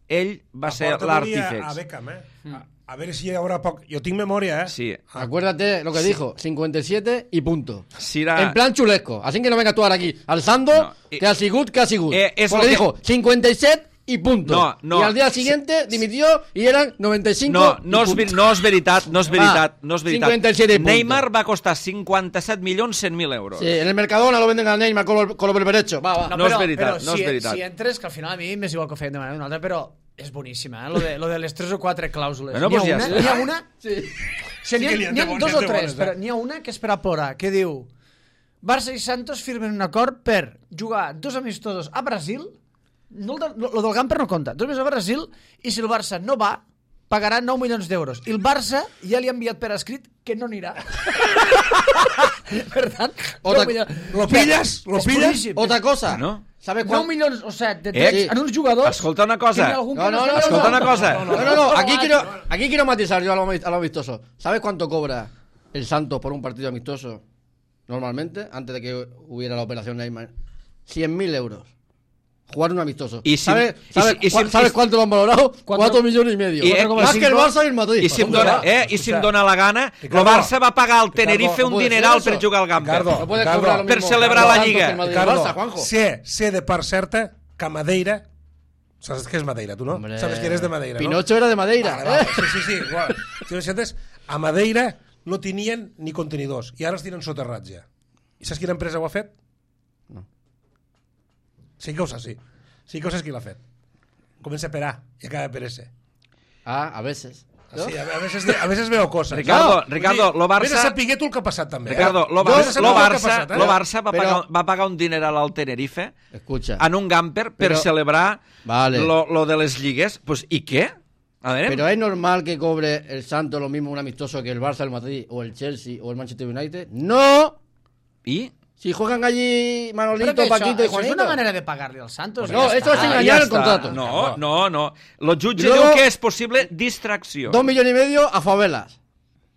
S1: ell va ser
S2: porta volia A
S1: l'artífex.
S2: Beckham, eh? A, a veure si hi haurà poc... Jo tinc memòria, eh?
S1: Sí.
S6: Acuérdate lo que dijo, cincuenta y siete y punto.
S1: Serà...
S6: En plan chulesco. Así que no venga tú ahora aquí alzando
S1: No, eh,
S6: que ha sigut, que ha sigut.
S1: eh, es
S6: Porque
S1: lo que-
S6: dijo cincuenta y siete y punto.
S1: No, no.
S6: Y al día siguiente dimitió y eran noventa y cinco
S1: No,
S6: y
S1: no és,
S6: punto.
S1: ver- no és veritat, no és veritat,
S6: Ah,
S1: no és veritat.
S6: cincuenta y siete puntos.
S1: Neymar va costar cinquanta-set milions cent mil euros.
S6: Sí, en el Mercadona lo venden a Neymar con lo, con lo berberecho. Va, va.
S1: No és veritat, no
S3: si,
S1: és veritat.
S3: Si entres, que al final a mi m'és igual que ho feien de manera una altra, però és boníssima, eh? Lo de, lo de les tres o quatre clàusules.
S1: Bueno,
S3: N'hi ha
S1: pues ja
S3: una,
S1: està.
S3: n'hi ha una...
S6: Sí.
S3: Sí, n'hi ha,
S2: que n'hi ha
S3: n'hi ha
S2: de bones,
S3: dos o
S2: de
S3: tres,
S2: bones, eh?
S3: però n'hi ha una que és per a plorar, que diu Barça i Santos firmen un acord per jugar dos amistosos a Brasil, no el de, lo del Gamper no compta, dos amistosos a Brasil, i si el Barça no va, pagarà nou milions d'euros. I el Barça ja li ha enviat per escrit que no anirà. Per tant,
S6: Otra-
S3: nou milions.
S2: Lo pilles? Lo
S3: És
S2: pilles?
S3: boníssim.
S6: Otra cosa.
S1: No?
S6: ¿Sabes
S3: nou
S6: cuánto?
S3: milions o set de
S1: Eh,
S3: tres en uns jugadors.
S1: Escolta una cosa.
S3: que n'hi ha algun que
S6: No, no, no,
S1: Escolta una cosa.
S6: No, no, no, aquí quiero, aquí quiero matizar yo a lo, a lo amistoso. ¿Sabes cuánto cobra el Santos por un partido amistoso normalmente, antes de que hubiera la operación Neymar? cien mil euros. jugar un amistoso.
S1: Y si-
S6: ¿Sabes,
S1: y
S6: sabes,
S1: si- y si-
S6: cua- ¿sabes
S1: y-
S6: cuánto lo han valorado? Cuatro millones y medio.
S1: Y, eh,
S6: Más
S1: y
S6: que el
S1: si-
S6: Barça y el Madrid.
S1: I si, em
S6: Pues,
S1: dona,
S6: hombre,
S1: eh, I si em dona la gana, el
S2: Ricardo,
S1: Barça va pagar al Tenerife
S6: Ricardo,
S1: un
S6: no puede
S1: dineral
S6: ser
S1: per
S6: eso.
S1: jugar al Gamper.
S2: Ricardo,
S6: No puede
S2: Ricardo,
S6: cobrar lo
S1: per
S6: mismo
S1: celebrar la
S6: tanto
S1: Lliga.
S6: que el Madrid y el
S2: Ricardo,
S6: Barça, Juanjo.
S2: sé, sé de part certa que a Madeira... Saps què és Madeira, tu no?
S6: Hombre,
S2: Sabes que eres de Madeira, no?
S6: Pinocho era de Madeira.
S2: Vale, vale.
S6: eh?
S2: Sí, sí, sí. Igual. Si no sentes, a Madeira no tenien ni contenidors i ara els tenen soterrats ja. I saps quina empresa ho ha fet?
S6: No.
S2: Sí que ho saps, sí. Sí que ho saps qui l'ha fet. Comença per A i acaba per S.
S6: Ah, a veces. ¿no?
S2: Sí, a, a, veces, a veces veo cosas.
S1: Ricardo, Ricardo, lo Barça-
S2: Vés a saber tu el que ha passat també. eh?
S1: Ricardo, lo,
S2: Vés a
S1: Barça,
S2: saber
S1: lo,
S2: tu el que ha
S1: Barça,
S2: passat, eh?
S1: lo Barça va,
S6: Però-
S1: pagar, va pagar un dineral al Tenerife
S6: Escucha.
S1: en un Gamper per
S6: Però-
S1: celebrar
S6: Vale.
S1: lo, lo de les lligues. Pues, ¿y qué? A ver,
S6: Pero es normal que cobre el Santos lo mismo un amistoso que el Barça, el Madrid, o el Chelsea, o el Manchester United. ¡No!
S1: ¿y?
S6: Si juegan allí
S3: Però
S6: Manolito,
S3: que això,
S6: Paquito y
S3: això és
S6: Juanito.
S3: una manera de pagar-li als Santos.
S6: No,
S3: ja
S6: eso
S3: està.
S6: es engañar
S1: ya
S6: el
S1: está.
S6: contrato.
S1: No, no, no. Lo jutge
S6: Y luego-
S1: diu que és possible distracció.
S6: Dos millones y medio a favelas.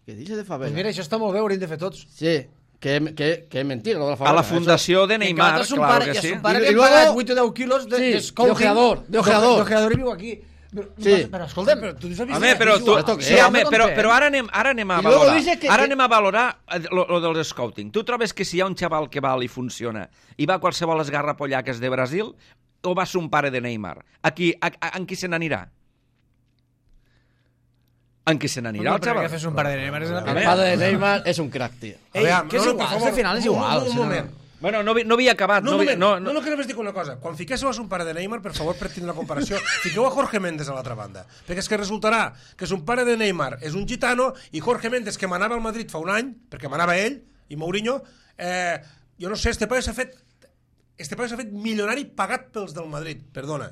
S6: ¿Qué dice de
S3: Pues
S6: favelas?
S3: mira, això està molt bé, ho hauríem de fer tots.
S6: Sí, que, que, que es mentira lo de la
S1: A
S6: favela.
S1: la
S6: Eso-
S1: fundació de
S3: I
S1: Neymar,
S3: encara son
S1: claro
S3: pare,
S1: que
S3: i a
S1: sí.
S3: son pare
S6: I-
S3: li
S6: i
S3: han
S6: luego-
S3: pagat vuit o deu quilos de,
S6: Sí,
S3: de scouting.
S6: de ojeador, de ojeador.
S3: De ojeador i viu aquí. Però,
S6: Sí.
S3: però escolta'm,
S2: Però tu has vist
S1: Home, però, tu,
S6: Esto qué
S1: sí,
S6: es?
S1: home,
S3: No
S1: però,
S3: t'entenc.
S1: però ara anem, ara anem a
S6: I luego
S1: valorar.
S6: dices que-
S1: Ara
S6: que-
S1: anem a valorar eh, lo, lo del scouting. Tu trobes que si hi ha un xaval que val i funciona i va a qualsevol esgarrapollà que és de Brasil, o va ser un pare de Neymar? Aquí, a, a, en qui se n'anirà? En qui se n'anirà,
S3: no,
S1: el
S3: però
S1: xaval?
S3: que fes un par de Neymar és una
S6: El
S1: veure.
S6: padre de Neymar es un crack, tío.
S3: Ei,
S2: Aviam,
S3: que és
S2: no, no, per
S3: igual,
S2: favor,
S3: al final és
S2: un-
S3: igual.
S2: un- un
S3: si no-
S2: moment.
S1: Bueno, no, vi- no havia acabat.
S2: No,
S1: No,
S2: un
S1: vi-
S2: moment.
S1: no,
S2: no,
S1: no,
S2: no, que només dic una cosa. Quan fiquéssiu a un pare de Neymar, per favor, per tindre la comparació, fiqueu a Jorge Méndez a l'altra banda. Perquè és que resultarà que son pare de Neymar és un gitano i Jorge Méndez, que manava al Madrid fa un any, perquè manava ell, i Mourinho, eh, jo no sé, este paio s'ha fet este paio s'ha fet milionari pagat pels del Madrid. Perdona,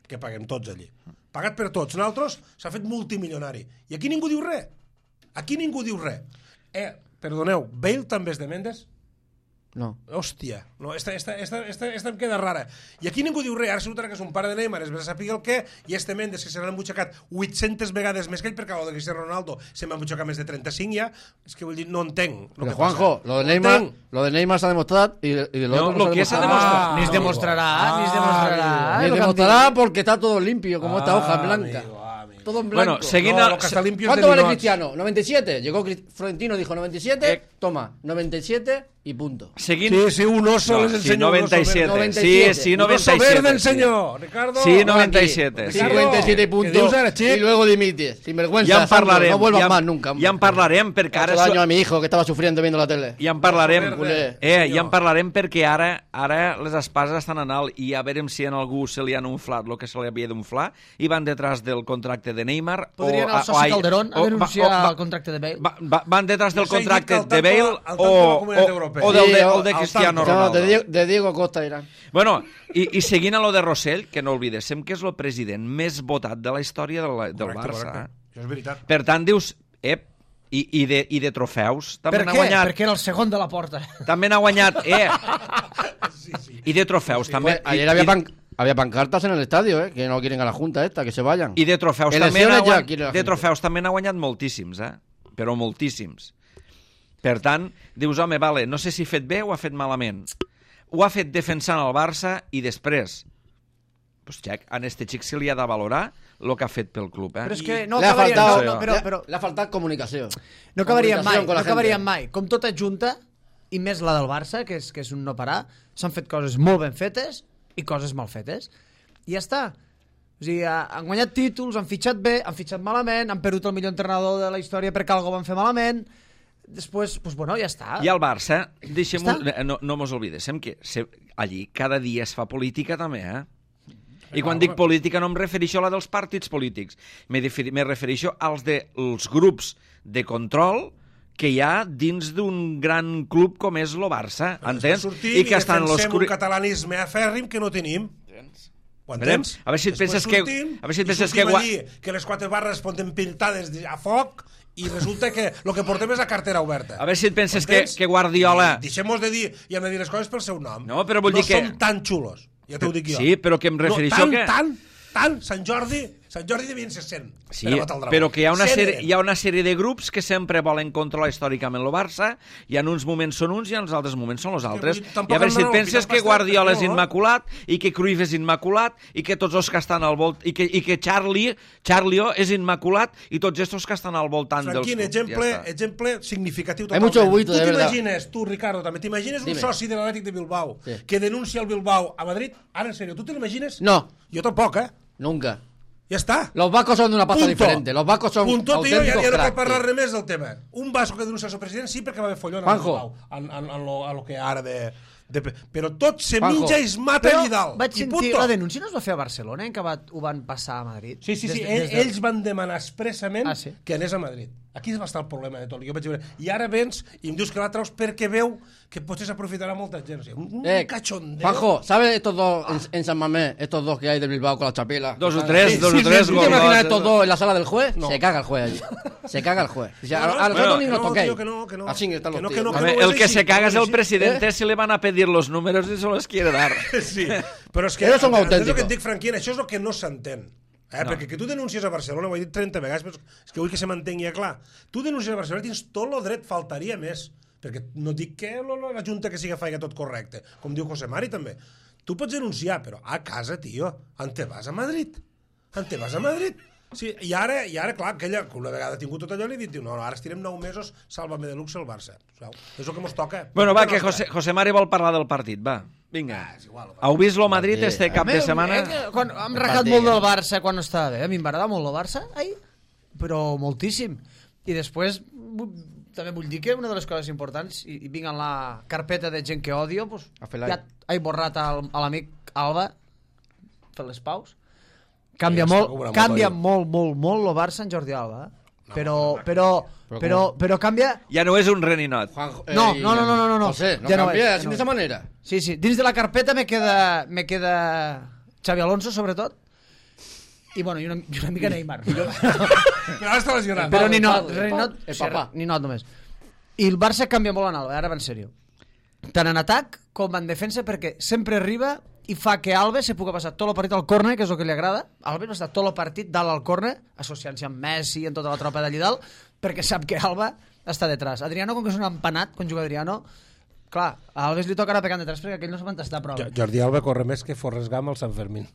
S2: que paguem tots allí. Pagat per tots. Nosaltres s'ha fet multimilionari. I aquí ningú diu res. Aquí ningú diu res. Eh, perdoneu, Bale també és de Mendes?
S6: No.
S2: Hòstia, no, esta, esta, esta, esta, esta em queda rara. I aquí ningú diu res, ara resulta que és un pare de Neymar, es ve a saber el què, i este Mendes, que se l'han embutxacat vuit-centes vegades més que ell, perquè el de Cristiano Ronaldo se m'ha embutxacat més de trenta-cinc ja, és que vull dir, no entenc.
S6: Pero
S2: que
S6: Juanjo,
S2: passa.
S6: lo de
S2: No
S6: Neymar,
S2: entenc.
S6: lo de Neymar s'ha demostrat y, de- y de lo
S1: No,
S6: otro
S1: lo que
S6: s'ha
S1: s'ha
S6: demostrat.
S1: demostrat.
S3: Ni es
S2: amigo.
S3: demostrarà, ni es
S2: Ah,
S3: demostrarà.
S6: Ni
S3: eh, lo que em
S6: demostrará
S3: dic.
S6: porque está todo limpio, como esta hoja
S2: Ah,
S6: blanca.
S2: amigo, amigo.
S6: Todo en blanco.
S1: Bueno, seguint
S2: No,
S1: el-
S2: lo que està limpio és
S6: ¿Cuánto
S2: de
S6: vale
S2: ninots.
S6: Cristiano? noventa y siete. Llegó Cri- Florentino, dijo noventa y siete.
S1: Eh.
S6: Toma, noventa y siete y punto.
S1: seguint...
S2: Sí, sí, un oso
S1: No,
S2: les
S1: sí,
S2: enseño un oso
S1: noventa y siete.
S2: verde.
S6: noventa y
S1: Sí,
S6: siete.
S1: sí,
S2: Un oso
S1: noventa y
S2: verde
S1: siete.
S2: enseñó, Ricardo.
S1: Sí,
S6: No,
S1: noventa y
S6: aquí.
S1: siete. Sí.
S6: cincuenta y siete
S2: ¿Qué
S6: puntos.
S2: dius ara, xic?
S6: Y luego dimites. Sin vergüenza.
S1: Ja en parlarem.
S6: No vuelvas
S1: ja,
S6: más nunca. hombre.
S1: Ja en parlarem, perquè ara...
S6: Otro daño
S1: su-
S6: a mi hijo que estaba sufriendo viendo la tele.
S1: Ja en parlarem.
S2: Verde,
S6: Culé.
S1: Eh,
S2: senyor.
S1: ja en parlarem perquè ara ara les espases estan en alt i a veure si en algú se li han inflat el que se li havia d'inflar i van detrás del contracte de Neymar.
S3: Podria anar
S1: o,
S3: al soci
S1: ai,
S3: Calderón a
S1: o-
S3: denunciar
S1: va- o-
S3: el contracte de Bale.
S1: Va, va, van detrás del
S2: S'ha dit
S1: contracte
S2: que al
S1: de
S2: tanto-
S1: Bale
S2: al tanto
S1: o,
S2: de la Comunitat
S1: o,
S2: Europea.
S1: o del de,
S6: Sí,
S1: o de
S2: al
S1: Cristiano
S2: tanto.
S6: No,
S1: Ronaldo.
S6: de Diego, de Diego Costa Irán.
S1: Bueno, i, i seguint a lo de Rossell, que no oblidéssim que és el president més votat de la història del, del
S2: Correcte,
S1: Barça.
S2: correcte. Això és veritat.
S1: Per tant, dius, ep, i, i, de, i de trofeus també
S3: Per
S1: n'ha
S3: què?
S1: guanyat.
S3: Perquè era el segon de la porta.
S1: També n'ha guanyat, eh. I de trofeus també.
S6: Pues, ayer
S1: i,
S6: había,
S1: i-
S6: pan- había pancartas en el estadio, ¿eh? Que no quieren a la Junta esta, que se vayan.
S1: I de trofeus també
S6: Elecciones
S1: n'ha
S6: ja
S1: guanyat,
S6: quiere la
S1: de
S6: gente.
S1: trofeus també n'ha guanyat moltíssims, eh? Però moltíssims. Per tant, dius, home, vale, no sé si ha fet bé o ha fet malament. Ho ha fet defensant el Barça i després, pues, xec, a este xic se li ha de valorar el que ha fet pel club, eh?
S3: Però és que no
S6: le ha
S3: acabaria...
S6: faltado,
S3: No, no, però,
S6: le,
S3: però,
S6: le ha faltado comunicación.
S3: no acabarien mai,
S6: Comunicación con
S3: no
S6: la gente.
S3: acabarien mai. Com tota junta, i més la del Barça, que és, que és un no parar, s'han fet coses molt ben fetes i coses mal fetes. I ja està. O sigui, ha- han guanyat títols, han fitxat bé, han fitxat malament, han perdut el millor entrenador de la història perquè algo van fer malament. Després, pues bueno, ja està.
S1: I al Barça, deixem
S3: Està.
S1: no, no mos oblidéssim que se, allí cada dia es fa política també, eh? I
S2: Clar,
S1: quan dic
S2: home.
S1: política no em refereixo a la dels partits polítics, me, deferi- me refereixo als de, els grups de control que hi ha dins d'un gran club com és el Barça, entens?
S2: Sortim
S1: I que estan
S2: defensem
S1: l'oscuri...
S2: un catalanisme afèrrim que no tenim. Ho
S1: Veurem.
S2: entens?
S1: A veure si et
S2: Després
S1: penses que-
S2: sortim
S1: a veure si et
S2: i
S1: penses
S2: sortim
S1: que gua-
S2: allí, que les quatre barres poden pintades de- a foc i resulta que el que portem és la cartera oberta.
S1: A veure si et penses que,
S2: Entens?
S1: que Guardiola...
S2: I Deixem-nos de dir, i hem de dir les coses pel seu nom.
S1: No, però vull
S2: no
S1: dir que-
S2: som tan xulos, ja t'ho dic jo.
S1: Sí, però que em refereixo
S2: no, tan,
S1: que-
S2: Tan, tant, Sant Jordi Sant Jordi devien ser cent.
S1: Sí, però que hi ha, una sèrie, hi ha una sèrie de grups que sempre volen controlar històricament el Barça, i en uns moments són uns i en els altres moments són els altres. I a veure si et penses que Guardiola és immaculat, i que Cruyff és immaculat, i que tots els que estan al voltant, i que, i que Charlie, Charlio és immaculat, i tots estos que estan al voltant dels
S2: clubs.
S1: exemple,
S2: ja exemple significatiu
S6: totalment. Hay mucho buito,
S2: tu
S6: de verdad.
S2: t'imagines, tu, Ricardo, també t'imagines un soci de l'Atlètic de Bilbao sí. que denuncia el Bilbao a Madrid? Ara, en serio, ¿tú te lo imagines?
S6: No.
S2: Yo tampoco, ¿eh?
S6: Nunca.
S2: Ya está.
S6: Los vascos son de una pasta
S2: Punto.
S6: diferente. Los vascos son
S2: Punto,
S6: auténticos
S2: tío, ja, ja no
S6: cracks,
S2: cal parlar res més del tema. Un vasco que denuncia el seu president sí perquè va haver follon en, en, en, en, lo, en lo que ara de... De, però tot se Juanjo. Minja i es mata allà dalt.
S3: Vaig sentir, la denúncia no es va fer a Barcelona, en què va, ho van passar a Madrid?
S2: Sí, sí, sí.
S3: Des,
S2: Ell,
S3: des de...
S2: Ells van demanar expressament ah, sí? que anés a Madrid. Aquí va estar el problema de tot. Jo vaig veure. I ara vens i em dius que la traus perquè veu que potser s'aprofitarà molta gent. O sigui, un, un
S6: eh,
S2: cachondeo.
S6: Juanjo, ¿sabes estos dos ah. en, en San Mamés, estos dos que hay de Bilbao con la chapela?
S1: Dos o tres, sí, dos sí, o tres.
S6: ¿Tú sí, te imaginas estos dos en la sala del juez? No. Se caga el juez allí. Se caga el juez. O sea,
S2: no, no,
S6: a nosotros
S2: bueno,
S6: ni nos
S2: no,
S6: toquéis.
S2: Que no, que no.
S6: Así están
S2: que
S6: los
S2: no,
S6: tíos.
S2: que no, que
S1: no,
S2: no,
S1: el que se caga es el
S2: ¿eh?
S1: presidente si le van a pedir los números y se los quiere dar.
S2: Sí, però és que...
S6: Ellos son
S2: auténticos.
S6: auténticos.
S2: És el que et dic, Franquín, això és el que no s'entén. Eh? No. Perquè que tu denuncies a Barcelona, ho he dit trenta vegades, però és que vull que se mantengui clar. Tu denuncies a Barcelona, tens tot el dret, faltaria més. Perquè no dic que la Junta que siga faiga tot correcte, com diu José Mari també. Tu pots denunciar, però a casa, tio, on te vas a Madrid? On te vas a Madrid? Sí, i ara, i ara clar, aquella, que una vegada ha tingut tot allò, li he dit, no, no, ara estirem nou mesos, sàlvame de luxe el Barça. És el que mos toca.
S1: Bueno, va, que José, José Mari vol parlar del partit, va. Vinga. Ah, igual, heu vist lo Madrid sí. este cap de setmana?
S3: Eh, quan, hem racat molt del Barça quan estava bé. A mi em va agradar molt el Barça, ai, però moltíssim. I després, també vull dir que una de les coses importants, i, i vinc en la carpeta de gent que odio, pues, ja he borrat a l'amic Alba, per les paus. Canvia, molt, canvia molt, molt, molt el Barça en Jordi Alba, eh? No, però, però, però, però, però canvia...
S1: Ja no és un reninot.
S3: Eh, no, no, no, no, no, no.
S6: José, no
S3: ja
S6: canvia,
S3: no
S6: així no manera.
S3: Sí, sí, dins de la carpeta me queda, me queda Xavi Alonso, sobretot, i bueno, i una, i una mica Neymar. Però
S2: ara està lesionat.
S3: Però ni not, Renot, ni not només. I el Barça canvia molt en Alba, ara va en sèrio. Tant en atac com en defensa, perquè sempre arriba i fa que Alves se pugui passar tot el partit al córner, que és el que li agrada. Alves va estar tot el partit dalt al córner, associant-se amb Messi i amb tota la tropa d'allí dalt, perquè sap que Alba està detrás. Adriano, com que és un empanat, quan juga Adriano, clar, a Alves li toca anar pegant detrás perquè aquell no se'n va tastar prou.
S2: Jordi Alba corre més que Forrest Gump al Sant Fermín.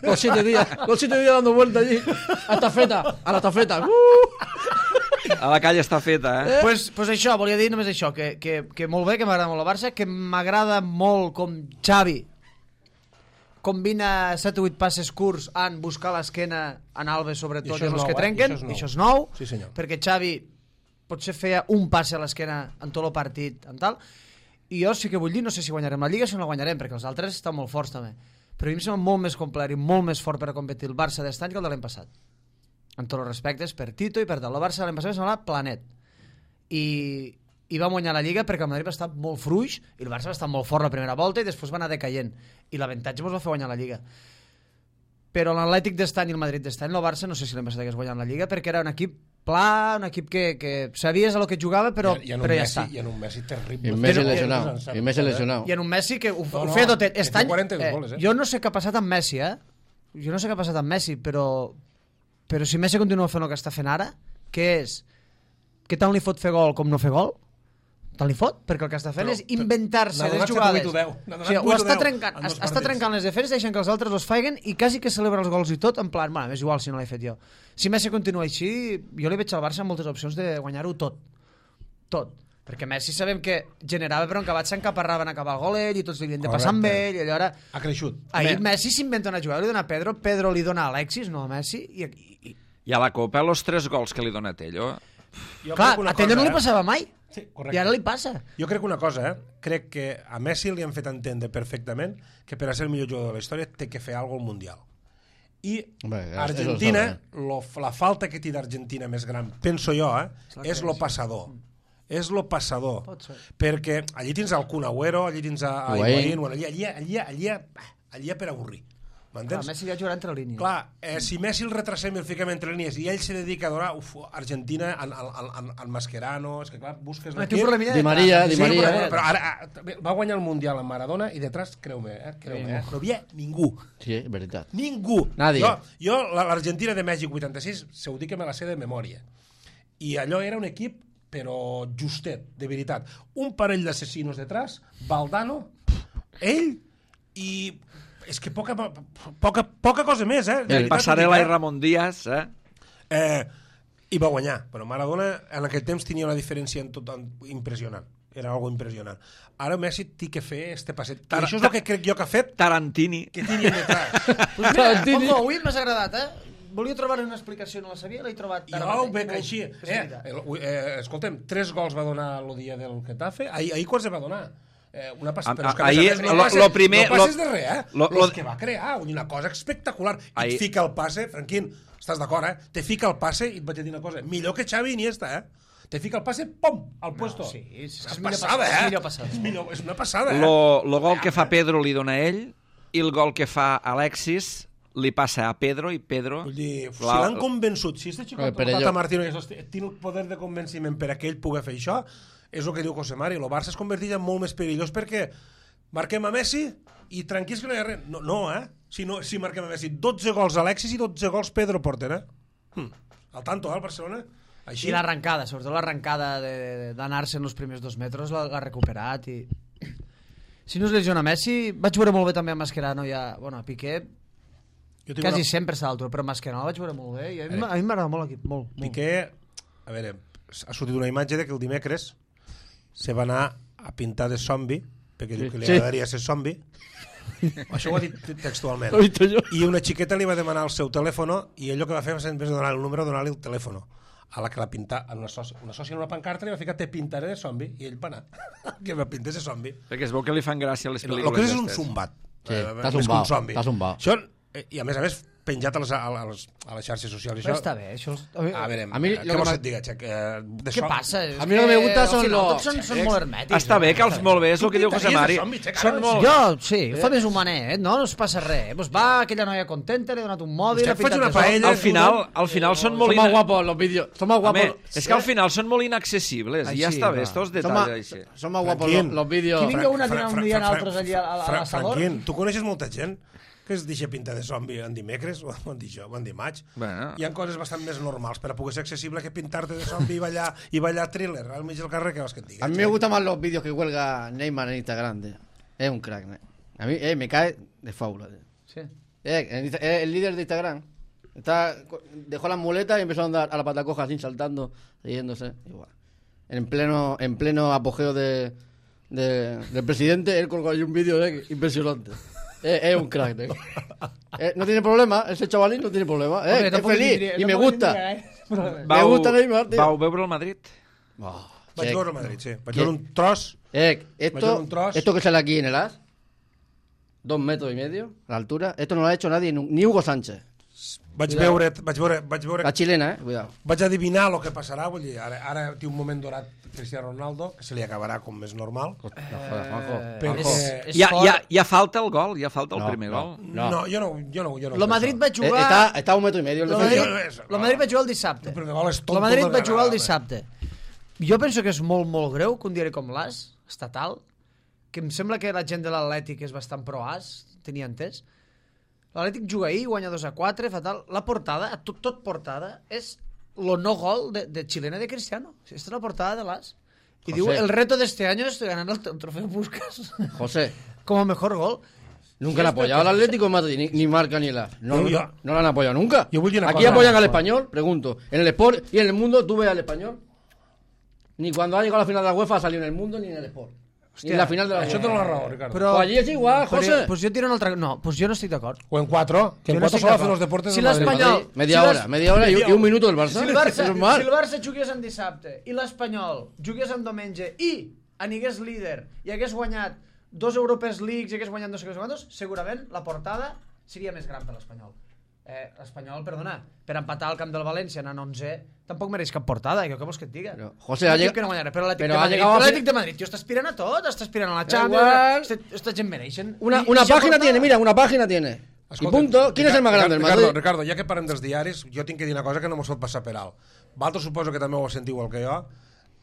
S6: Los siete días, los siete días dando vuelta allí, a tafeta, a la tafeta. Uh!
S1: A la calle està feta, eh?
S3: eh? Pues, pues això, volia dir només això, que, que, que molt bé, que m'agrada molt el Barça, que m'agrada molt com Xavi combina set o vuit passes curts en buscar l'esquena en Alves, sobretot, i, i els nou, que trenquen, i això és nou,
S2: sí,
S3: perquè Xavi potser feia un passe a l'esquena en tot el partit, en tal, i jo sí que vull dir, no sé si guanyarem la Lliga o si no la guanyarem, perquè els altres estan molt forts també, però a mi em sembla molt més complet i molt més fort per a competir el Barça d'estany que el de l'any passat. En tots els respectes, per Tito i per tal. El Barça l'any passat semblava planet. I, i va guanyar la Lliga perquè el Madrid va estar molt fluix i el Barça va estar molt fort la primera volta i després va anar decaient. I l'avantatge ens va fer guanyar la Lliga. Però l'Atlètic d'estany i el Madrid d'estany, el Barça no sé si l'any passat hagués guanyat la Lliga perquè era un equip pla, un equip que, que sabies el que jugava, però,
S2: I, i
S3: però ja
S2: Messi,
S3: està.
S2: I en un Messi terrible.
S6: I en Messi lesionat. I en Messi lesionat.
S3: I en un Messi que ho,
S2: no,
S3: ho
S2: no,
S3: feia tot. Estany,
S2: eh, goles, eh?
S3: Jo no sé què ha passat amb Messi, eh? Jo no sé què ha passat amb Messi, però... Però si Messi continua fent el que està fent ara, què és? Que tant li fot fer gol com no fer gol? Tant li fot? Perquè el que està fent però, és inventar-se les jugades. O sigui, ho està trencant, està trencant les defenses, deixant que els altres els faiguen i quasi que celebra els gols i tot, en plan, bueno, és igual si no l'he fet jo. Si Messi continua així, jo li veig al Barça moltes opcions de guanyar-ho tot. Tot. Perquè Messi sabem que generava, però en acabat s'encaparraven a acabar el gol ell i tots li havien de passar amb ell i allò era...
S2: Ha creixut.
S3: Ahir Messi s'inventa una jugada, li dona a Pedro, Pedro li dona a Alexis, no a Messi, i... I,
S1: I a la Copa, els tres gols que li dona a Tello...
S3: Jo clar, a Tello no li passava mai, sí, i ara li passa.
S2: Jo crec una cosa, eh? Crec que a Messi li han fet entendre perfectament que per a ser el millor jugador de la història té que fer alguna cosa al Mundial. I Bé, Argentina, lo, la falta que té d'Argentina més gran, penso jo, eh? És lo passador. És lo passador, perquè allí tens el Kun Agüero, allí tens a, a Higuaín, bueno, allí, allí, allí, allí, allí per avorrir.
S3: Clar,
S2: M'entens?
S3: Messi ja jugarà entre línies.
S2: Clar, eh, si Messi el retrasem i el fiquem entre línies i ell se dedica a donar uf, Argentina en, en, en, en Mascherano, és que clar, busques
S3: Té un
S2: l'equip...
S3: problemilla
S6: Di
S3: de
S6: Maria,
S3: traç.
S6: Di
S2: Sí,
S6: Maria.
S2: però, però ara ah, va guanyar el Mundial amb Maradona i detrás, creu-me, eh, creu-me, eh, no havia ningú.
S6: Sí, és veritat.
S2: Ningú.
S6: Nadie.
S2: Jo, jo l'Argentina de Mèxic vuitanta-sis, se ho dic que me la sé de memòria. I allò era un equip, però justet, de veritat. Un parell d'assassinos detrás, Valdano, ell i... És que poca, poca, poca cosa més, eh? De veritat,
S1: Passarela
S2: dic,
S1: i Ramon Díaz, eh?
S2: Eh, I va guanyar, però Maradona en aquell temps tenia una diferència en tot, en, impressionant. Era algo impressionant. Ara Messi té que fer este passet. I això és el que crec jo que ha fet
S1: Tarantini.
S2: que tenia detrás.
S3: Pues mira, Poco, avui m'has agradat, eh? Volia trobar una explicació, no la sabia, l'he trobat.
S2: Jo ho veig així. Eh, el, eh, escoltem, tres gols va donar el dia del Getafe. Ahir, ahir quants va donar? Eh, una passa,
S1: A-
S2: però és que
S1: a-
S2: a més a
S1: ahir,
S2: més no
S1: lo-
S2: passes,
S1: lo primer-
S2: no passes
S1: lo-
S2: de res, eh?
S1: lo-
S2: Lo,
S1: lo-
S2: que va crear, una cosa espectacular. I
S1: Ahir-
S2: et fica el passe, Franquín, estàs d'acord, eh? Te fica el passe i et vaig a dir una cosa. Millor que Xavi i Iniesta, eh? Te fica el passe, pom, al puesto.
S3: sí, és que és
S2: una
S3: millor
S2: passada,
S3: passada,
S2: eh?
S3: és millor passada.
S2: És, millor, és una passada, eh?
S1: Lo, lo gol que fa Pedro li dona a ell i el gol que fa Alexis li passa a Pedro i Pedro...
S2: Vull dir, si
S1: La-
S2: l'han convençut, si este xicot,
S6: Eh,
S2: el
S6: per
S2: Tata
S6: allò.
S2: Martino, i això, té el poder de convenciment per a que ell pugui fer això, és el que diu José Mari. El Barça es converteix en molt més perillós perquè marquem a Messi i tranquils que no hi ha res. No, no eh? Si, no, si marquem a Messi, dotze gols Alexis i dotze gols Pedro porten, eh? Hm. Al tanto, eh, el Barcelona? Així.
S3: I l'arrencada, sobretot l'arrencada de- d'anar-se en els primers dos metres l'ha l'ha recuperat i... Si no es lesiona Messi, vaig veure molt bé també a Mascherano i a, bueno, a Piqué,
S2: Jo tinc
S3: quasi
S2: una...
S3: sempre està a l'altura, però Mascherano el vaig veure molt bé i a mi m'a- a mi m'agrada molt l'equip, molt, molt.
S2: Piqué, a veure, ha sortit una imatge de que el dimecres se va anar a pintar de zombi, perquè diu que li
S6: Sí.
S2: agradaria ser zombi. Això ho ha dit textualment.
S6: Ho he dit jo.
S2: I una xiqueta li va demanar el seu telèfon i ell el que va fer va ser, en vez de donar el número, donar-li el telèfon. A la que la pinta, en una sòcia, una sòcia en una pancarta li va ficar te pintaré de zombi i ell va anar que va pintar de zombi.
S1: Perquè es veu que li fan gràcia les
S2: El
S1: pel·lícules
S2: que és un
S1: d'estes.
S2: zumbat.
S6: Sí,
S2: Eh,
S6: t'ha
S2: més que un
S6: zumbat,
S2: zombi.
S6: t'ha zumbat.
S2: Això, eh, i a més a més penjat a les, a les, a les xarxes socials.
S3: Però
S2: Això,
S3: està bé, això...
S2: a veure,
S6: A mi
S2: eh,
S6: lo
S2: què
S6: que
S2: vols
S6: m'ha-
S2: que et diga, Xec? Eh, de
S3: Què
S2: so-
S3: passa?
S6: A mi lo que me gusta
S3: al
S6: són
S3: final
S6: los-
S3: tots són, són molt hermètics.
S1: Està bé que els molt bé, és el que diu José Mari.
S2: Zombi, Xec,
S1: Són
S2: ara,
S1: molt...
S3: Jo, sí, ho fa més humanet, no? No es passa res. Pues va, aquella noia contenta, li ha donat un mòbil...
S2: Hòstia,
S3: ha pintat
S2: faig una
S3: de sol.
S2: paella.
S1: Al final, al final són molt...
S6: Son más
S1: ina-
S6: guapos los vídeos. Son más
S1: Home,
S6: guapos.
S1: és que al final són molt inaccessibles i ja
S3: Així,
S1: està bé,
S3: va.
S1: estos
S6: Son
S1: detalls
S6: más,
S1: així.
S6: son más guapos
S2: Franquín.
S6: los, los vídeos.
S3: Qui vinga una a dinar un dia en altres allí a, a, a
S2: Fra-
S3: l'assador...
S2: Franquín, tu coneixes molta gent que es deixa pintar de zombi en dimecres, o en dijous, o en dimarts.
S1: Bueno.
S2: Hi ha coses bastant més normals per a poder ser accessible que pintar-te de zombi i ballar, i ballar thriller al mig del carrer, que vols que et diga.
S6: A mí me gustan más los vídeos que cuelga Neymar en Instagram. Tío. Es un crack. ¿no? A mí eh, me cae de fábula. Tío.
S3: Sí.
S6: Eh, en Insta- eh, el líder de Instagram. Está, dejó las muletas y empezó a andar a la patacoja así, saltando, riéndose. Igual. En pleno, en pleno apogeo de, de- del presidente, él colgó ahí un vídeo eh, impresionante. Eh, es un crack. tío. Eh, no tiene problema, ese chavalín no tiene problema. Eh,
S3: Hombre,
S6: es
S3: tampoc
S6: feliz
S3: tindria-
S6: y me
S3: tampoc
S6: gusta.
S3: tindria, eh?
S6: Me gusta Neymar, tío.
S1: Vau veure el Madrid?
S6: Oh,
S2: Vaig
S6: eh,
S2: veure el Madrid, sí. Vaig
S6: ¿Qué?
S2: veure un tros.
S6: Eh,
S2: Vaig veure
S6: esto,
S2: un tros.
S6: esto que sale aquí en el as, dos metros y medio, a la altura, esto no lo ha hecho nadie, nu- ni Hugo Sánchez.
S2: Vaig
S6: Cuidado.
S2: veure, vaig veure, vaig veure,
S6: La chilena, eh, cuidado.
S2: vaig adivinar el que passarà, vull dir, ara, ara té un moment dorat Cristiano Ronaldo, que se li acabarà com és normal.
S6: No jodas, Juanjo.
S3: Eh,
S2: Però-
S3: és,
S2: Eh,
S3: és
S1: Ja,
S3: fort.
S1: ja, ja falta el gol, ja falta el
S6: No,
S1: primer
S6: no.
S1: gol.
S6: No.
S2: no, jo no, jo no, jo no
S3: Lo Madrid va
S6: Eh,
S3: jugar...
S6: está, está a un metro y medio el
S3: Lo
S6: defensa.
S3: Madrid,
S2: defensa.
S3: lo Madrid va jugar el dissabte.
S2: El primer gol és
S3: Lo
S2: tonto
S3: Madrid
S2: de
S3: va jugar el
S2: vegada.
S3: dissabte. Jo penso que és molt, molt greu que un diari com l'As, estatal, que em sembla que la gent de l'Atlètic és bastant pro-As, tenia entès. L'Atlètic juga ahir, guanya dos a quatre, fatal. La portada, tot, tot portada, és lo no gol de, de Chilena de Cristiano. Esta es la portada de l'As. Y
S6: José.
S3: digo, el reto de este año es ganar el, el trofeo Puskás
S6: José,
S3: como mejor gol.
S6: nunca han apoyado al Atlético de Madrid, ni, ni Marca ni el as. No,
S2: Yo-
S6: no,
S2: yo-
S6: no lo han apoyado nunca.
S2: Yo voy a decir una
S6: Aquí
S2: cosa.
S6: apoyan al español, pregunto. En el Sport y en el Mundo, ¿tú ves al español? Ni cuando ha llegado a la final de la UEFA ha salido en el Mundo ni en el Sport. Ni en la final de la
S2: Això
S6: UEFA.
S2: té la raó, Ricardo.
S3: Però,
S6: Pues allí és igual, José.
S3: Però, pues jo tiro un altre... No, pues jo no estic d'acord.
S2: O en cuatro, que en
S3: Jo no
S2: cuatro
S3: estic
S2: solo hacen
S3: d'acord.
S2: los deportes
S3: Si
S2: del Madrid.
S3: l'Espanyol-
S6: Media
S3: si
S6: hora,
S3: les-
S6: media hora y, y un minuto del Barça.
S3: Si el Barça,
S6: Eso es mal.
S3: si el Barça jugués en dissabte i l'Espanyol jugués en diumenge i anigués líder i hagués guanyat dos Europees Leagues i hagués guanyat no sé què quantos, segurament la portada seria més gran per l'Espanyol. Eh, L'Espanyol, perdona, per empatar al camp del València anant onze, tampoc mereix cap portada, jo què vols que et diga?
S6: Pero, José,
S3: Un
S6: ha
S3: equip
S6: llegado...
S3: que no guanyarà, però l'Atlètic
S6: Però
S3: de
S6: ha
S3: Madrid,
S6: llegado a
S3: l'Atlètic
S6: fi-
S3: de Madrid, tio, està aspirant a tot, està aspirant a la
S6: Da
S3: Champions,
S6: igual.
S3: esta, esta gent mereixen.
S6: Una,
S3: I-
S6: una
S3: i ja
S6: página
S3: portada.
S6: tiene, mira, una página tiene. I punto. Quin és el més gran del
S2: Ricardo,
S6: Madrid?
S2: Ricardo, ja que parlem dels diaris, jo tinc que dir una cosa que no mos pot passar per alt. Vosaltres suposo que també ho sentiu igual que jo.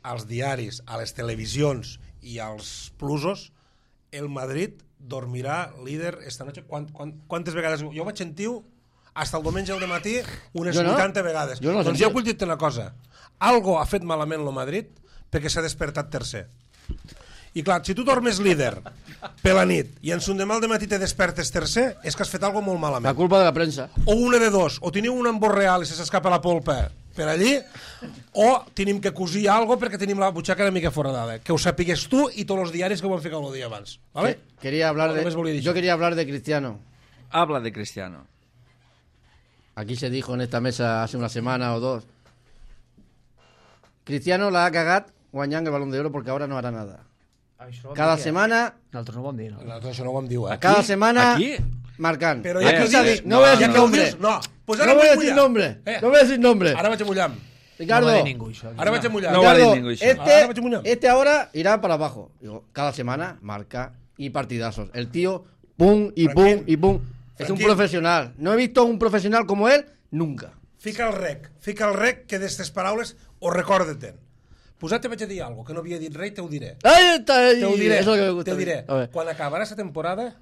S2: Als diaris, a les televisions i als plusos, el Madrid dormirà líder esta noche. Quant, quant, quantes vegades? Jo ho vaig sentir hasta el diumenge al matí unes
S6: Jo no.
S2: vuitanta vegades.
S6: Jo no
S2: doncs
S6: sentia.
S2: jo vull dir-te una cosa. Algo ha fet malament el Madrid perquè s'ha despertat tercer. I clar, si tu dormes líder per la nit i en son demà al matí te despertes tercer, és que has fet algo molt malament.
S6: La culpa de la premsa.
S2: O una de dos, o teniu un embor real i se s'escapa la polpa per allí, o tenim que cosir algo perquè tenim la butxaca una mica foradada. Que ho sapigues tu i tots els diaris que ho van ficar el dia abans. ¿Vale?
S6: Que- Quería hablar
S2: No, només volia
S6: de...
S2: dir
S6: Yo
S2: això.
S6: quería hablar de Cristiano.
S1: Habla de Cristiano.
S6: Aquí se dijo en esta mesa hace una semana o dos. Cristiano la ha cagat guanyant el Balón de Oro porque ahora no hará nada.
S3: Això ho vam
S6: Cada
S3: dir, eh?
S6: semana,
S3: Nosaltres no ho vam dir, no?
S2: Nosaltres això no ho vam dir, eh?
S6: cada semana
S1: Aquí?
S6: marcant.
S2: Però
S1: Eh,
S2: ja que ho
S6: Aquí s'ha
S2: dius,
S6: dit, no voy a
S2: ja
S6: decir
S2: que ho
S6: nombre.
S2: dius, no. Pues
S6: No
S2: ara
S6: voy a
S2: vaig
S6: decir
S2: mullar.
S6: nombre.
S2: Eh,
S6: No voy a decir nombre.
S2: Ara vaig a mullar.
S6: Ricardo,
S3: No va dir ningú, això.
S2: Ara vaig a mullar.
S1: No va dir
S6: Ricardo,
S1: ningú, això.
S6: este,
S2: Ahora vaig a mullar.
S6: este ahora irá para abajo. Digo, cada semana marca y partidazos. El tío, pum y pum
S2: Franquín.
S6: y pum. Es un
S2: Franquín.
S6: profesional. No he visto un profesional como él nunca.
S2: Fica el rec, fica el rec que d'estes paraules ho recorda-te'n. Pues ara te vaig a dir alguna cosa que no havia dit res, te ho diré.
S6: Ahí está, ahí.
S2: Te ho diré,
S6: Eso que me gusta
S2: te
S6: a
S2: ho
S6: mí.
S2: diré.
S6: A ver.
S2: Quan acabarà aquesta temporada,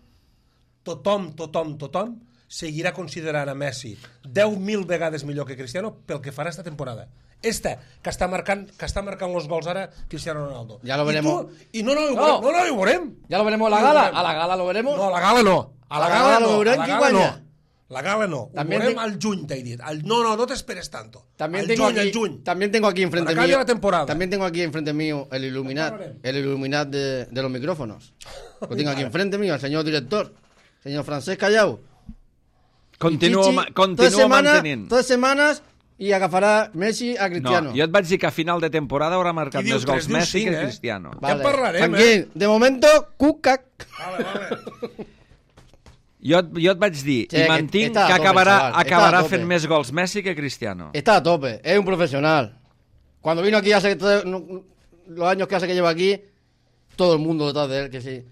S2: tothom, tothom, tothom seguirà considerant a Messi deu mil vegades millor que Cristiano pel que farà esta temporada. Esta, que està marcant, que està marcant los gols ara Cristiano Ronaldo.
S6: Ja lo
S2: I
S6: veremos.
S2: tu- I no, no, ho
S6: No.
S2: veurem, no, no, ho veurem.
S6: Ya lo veremos a la
S2: Ja ho
S6: gala.
S2: veurem.
S6: A la gala lo veremos.
S2: No, a la gala no. A la gala no.
S6: lo veurem
S2: A la
S6: qui
S2: gala
S6: guanya.
S2: no. La gala no.
S6: También
S2: Ho veurem
S6: te-
S2: al juny, t'he dit. Al... No, no, no t'esperes tanto.
S6: También
S2: al
S6: tengo,
S2: juny,
S6: aquí,
S2: al juny.
S6: también tengo aquí enfrente
S2: Cuando acabe
S6: mío.
S2: la temporada.
S6: También tengo aquí enfrente mío el Illuminat, el Illuminat de, de los micrófonos. Lo tengo aquí enfrente mío, el señor director, señor Francesc Callau.
S1: Continuo,
S6: Pichichi,
S1: ma-
S6: todas
S1: continuo
S6: semana-
S1: mantenint.
S6: Todas semanas y agafará Messi a Cristiano.
S1: No, jo et vaig dir que a final de temporada haurà marcat
S2: Qui diu
S1: més gols
S2: tres, diu
S1: Messi
S2: cinc,
S1: que
S2: eh?
S1: Cristiano.
S2: Ja en parlarem,
S6: Franquín,
S2: eh?
S6: de momento, cucac.
S2: Vale, vale.
S1: Jo, et- jo et vaig dir
S6: Sí,
S1: i
S6: que
S1: mantinc
S6: està a
S1: que
S6: tope,
S1: acabarà,
S6: chaval, està
S1: acabarà
S6: a tope.
S1: fent més gols Messi que Cristiano.
S6: Está a tope, es un profesional. Cuando vino aquí hace todo- no- los años que hace que lleva aquí, todo el mundo detrás de él, que sí.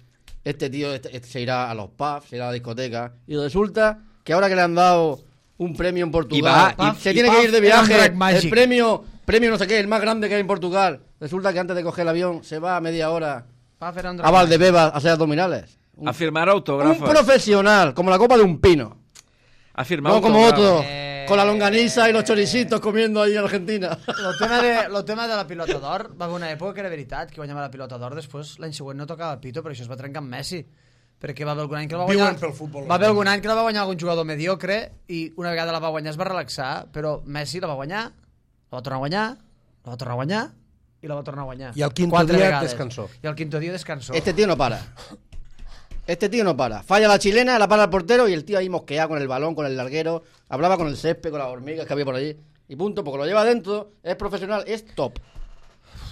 S6: Este tío este- este se irá a los pubs, se irá a la discoteca. Y resulta que ahora que le han dado un premio en Portugal,
S1: Y va-
S6: y
S1: y-
S6: se
S3: y
S6: tiene
S3: pub
S6: que ir de
S3: era un
S6: viaje,
S3: rec magic.
S6: el premio, premio no sé qué, el más grande que hay en Portugal. Resulta que antes de coger el avión se va a media hora
S3: Va fer un
S6: a Valdebebas a hacer abdominales. Un,
S1: A firmar
S6: un
S1: autògrafos.
S6: profesional, como la copa de un pino.
S1: A firmar
S6: No como
S1: autògrafos.
S6: otro,
S3: Eh,
S6: con la longaniza y los choricitos comiendo ahí en Argentina.
S3: El tema, de, el tema de la pilota d'or va haver una època que era veritat, que guanyava la pilota d'or, després l'any següent no tocava el pito, però això es va trencar amb Messi, perquè va haver algun any que la va
S2: Viuen
S3: guanyar...
S2: pel futbol.
S3: Va haver algun any que la va guanyar algun jugador mediocre i una vegada la va guanyar es va relaxar, però Messi la va guanyar, la va tornar a guanyar, la va tornar a guanyar i la va tornar a guanyar.
S2: I al quinto
S3: Quatre
S2: dia
S3: vegades.
S2: descansó.
S3: I al quinto dia descansó.
S6: Este tío no para. Este tío no para. Falla la chilena, la para el portero y el tío ahí mosqueado con el balón, con el larguero. Hablaba con el césped, con las hormigas que había por allí. Y punto, porque lo lleva dentro, es profesional, es top.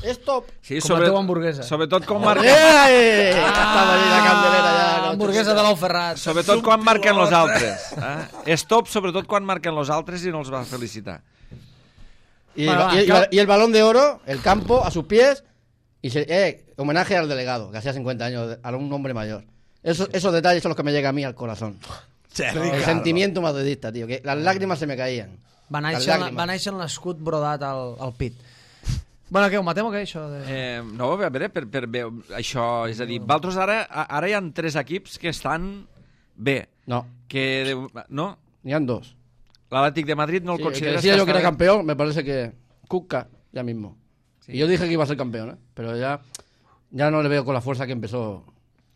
S6: Es top.
S1: Sí,
S3: Com la teva hamburguesa.
S1: Sobretot quan marquen,
S6: ¡Eh! Estava allí la candelera ja.
S3: Ah, hamburguesa de l'Ou Ferrat.
S1: sobretot quan marquen los altres. Eh? És top sobretot quan marquen los altres i no els va felicitar.
S6: Y,
S3: Bueno, va,
S6: y- y-
S3: cal-
S6: y el balón de oro, el campo, a sus pies. Y se, eh, homenaje al delegado, que hacía cincuenta años, a un hombre mayor. Eso, esos detalles son los que me llegan a mí al corazón. El sentimiento madridista, tío, que las lágrimas se me caían.
S3: Va
S6: Las
S3: néixer,
S6: lágrimas.
S3: va néixer amb l'escut brodat al, al pit. Bueno, què, ho matem o què, això? De...
S1: Eh, no, a veure, per, per bé, això, és a dir, vosaltres ara, ara hi ha tres equips que estan bé.
S6: No,
S1: Que, de, no?
S6: ni han dos.
S1: L'Atlètic de Madrid no el
S6: Sí, el que
S1: consideres
S6: decía yo que
S1: està
S6: era
S1: bé?
S6: campeón, me parece que Cuca ya mismo. Y yo dije que iba a ser campeón, ¿eh? Pero ya, ya no le veo con la fuerza que empezó.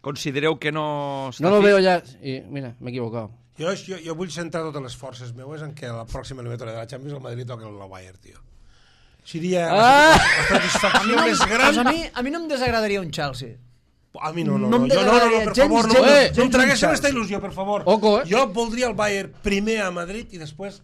S1: Considereu que no està
S6: No lo
S1: fit?
S6: veo ya. Y mira, me he equivocado.
S2: Jo, jo, jo vull centrar totes les forces meues en que la pròxima eliminatòria de la Champions el Madrid toqui el Bayern, tio. Seria
S6: Ah!
S2: la satisfacció més gran.
S3: Pues a, mi, a mi no em desagradaria un Chelsea.
S2: A mi no, no,
S3: No
S2: no,
S3: em
S2: jo, no, no, no,
S3: desagradaria
S2: per
S3: gens,
S2: favor, no,
S3: gens,
S2: eh,
S3: gens
S2: no em traguessin
S3: un
S2: aquesta
S3: Chelsea.
S2: il·lusió, per favor.
S6: Oco, eh?
S2: Jo voldria el Bayern primer a Madrid i després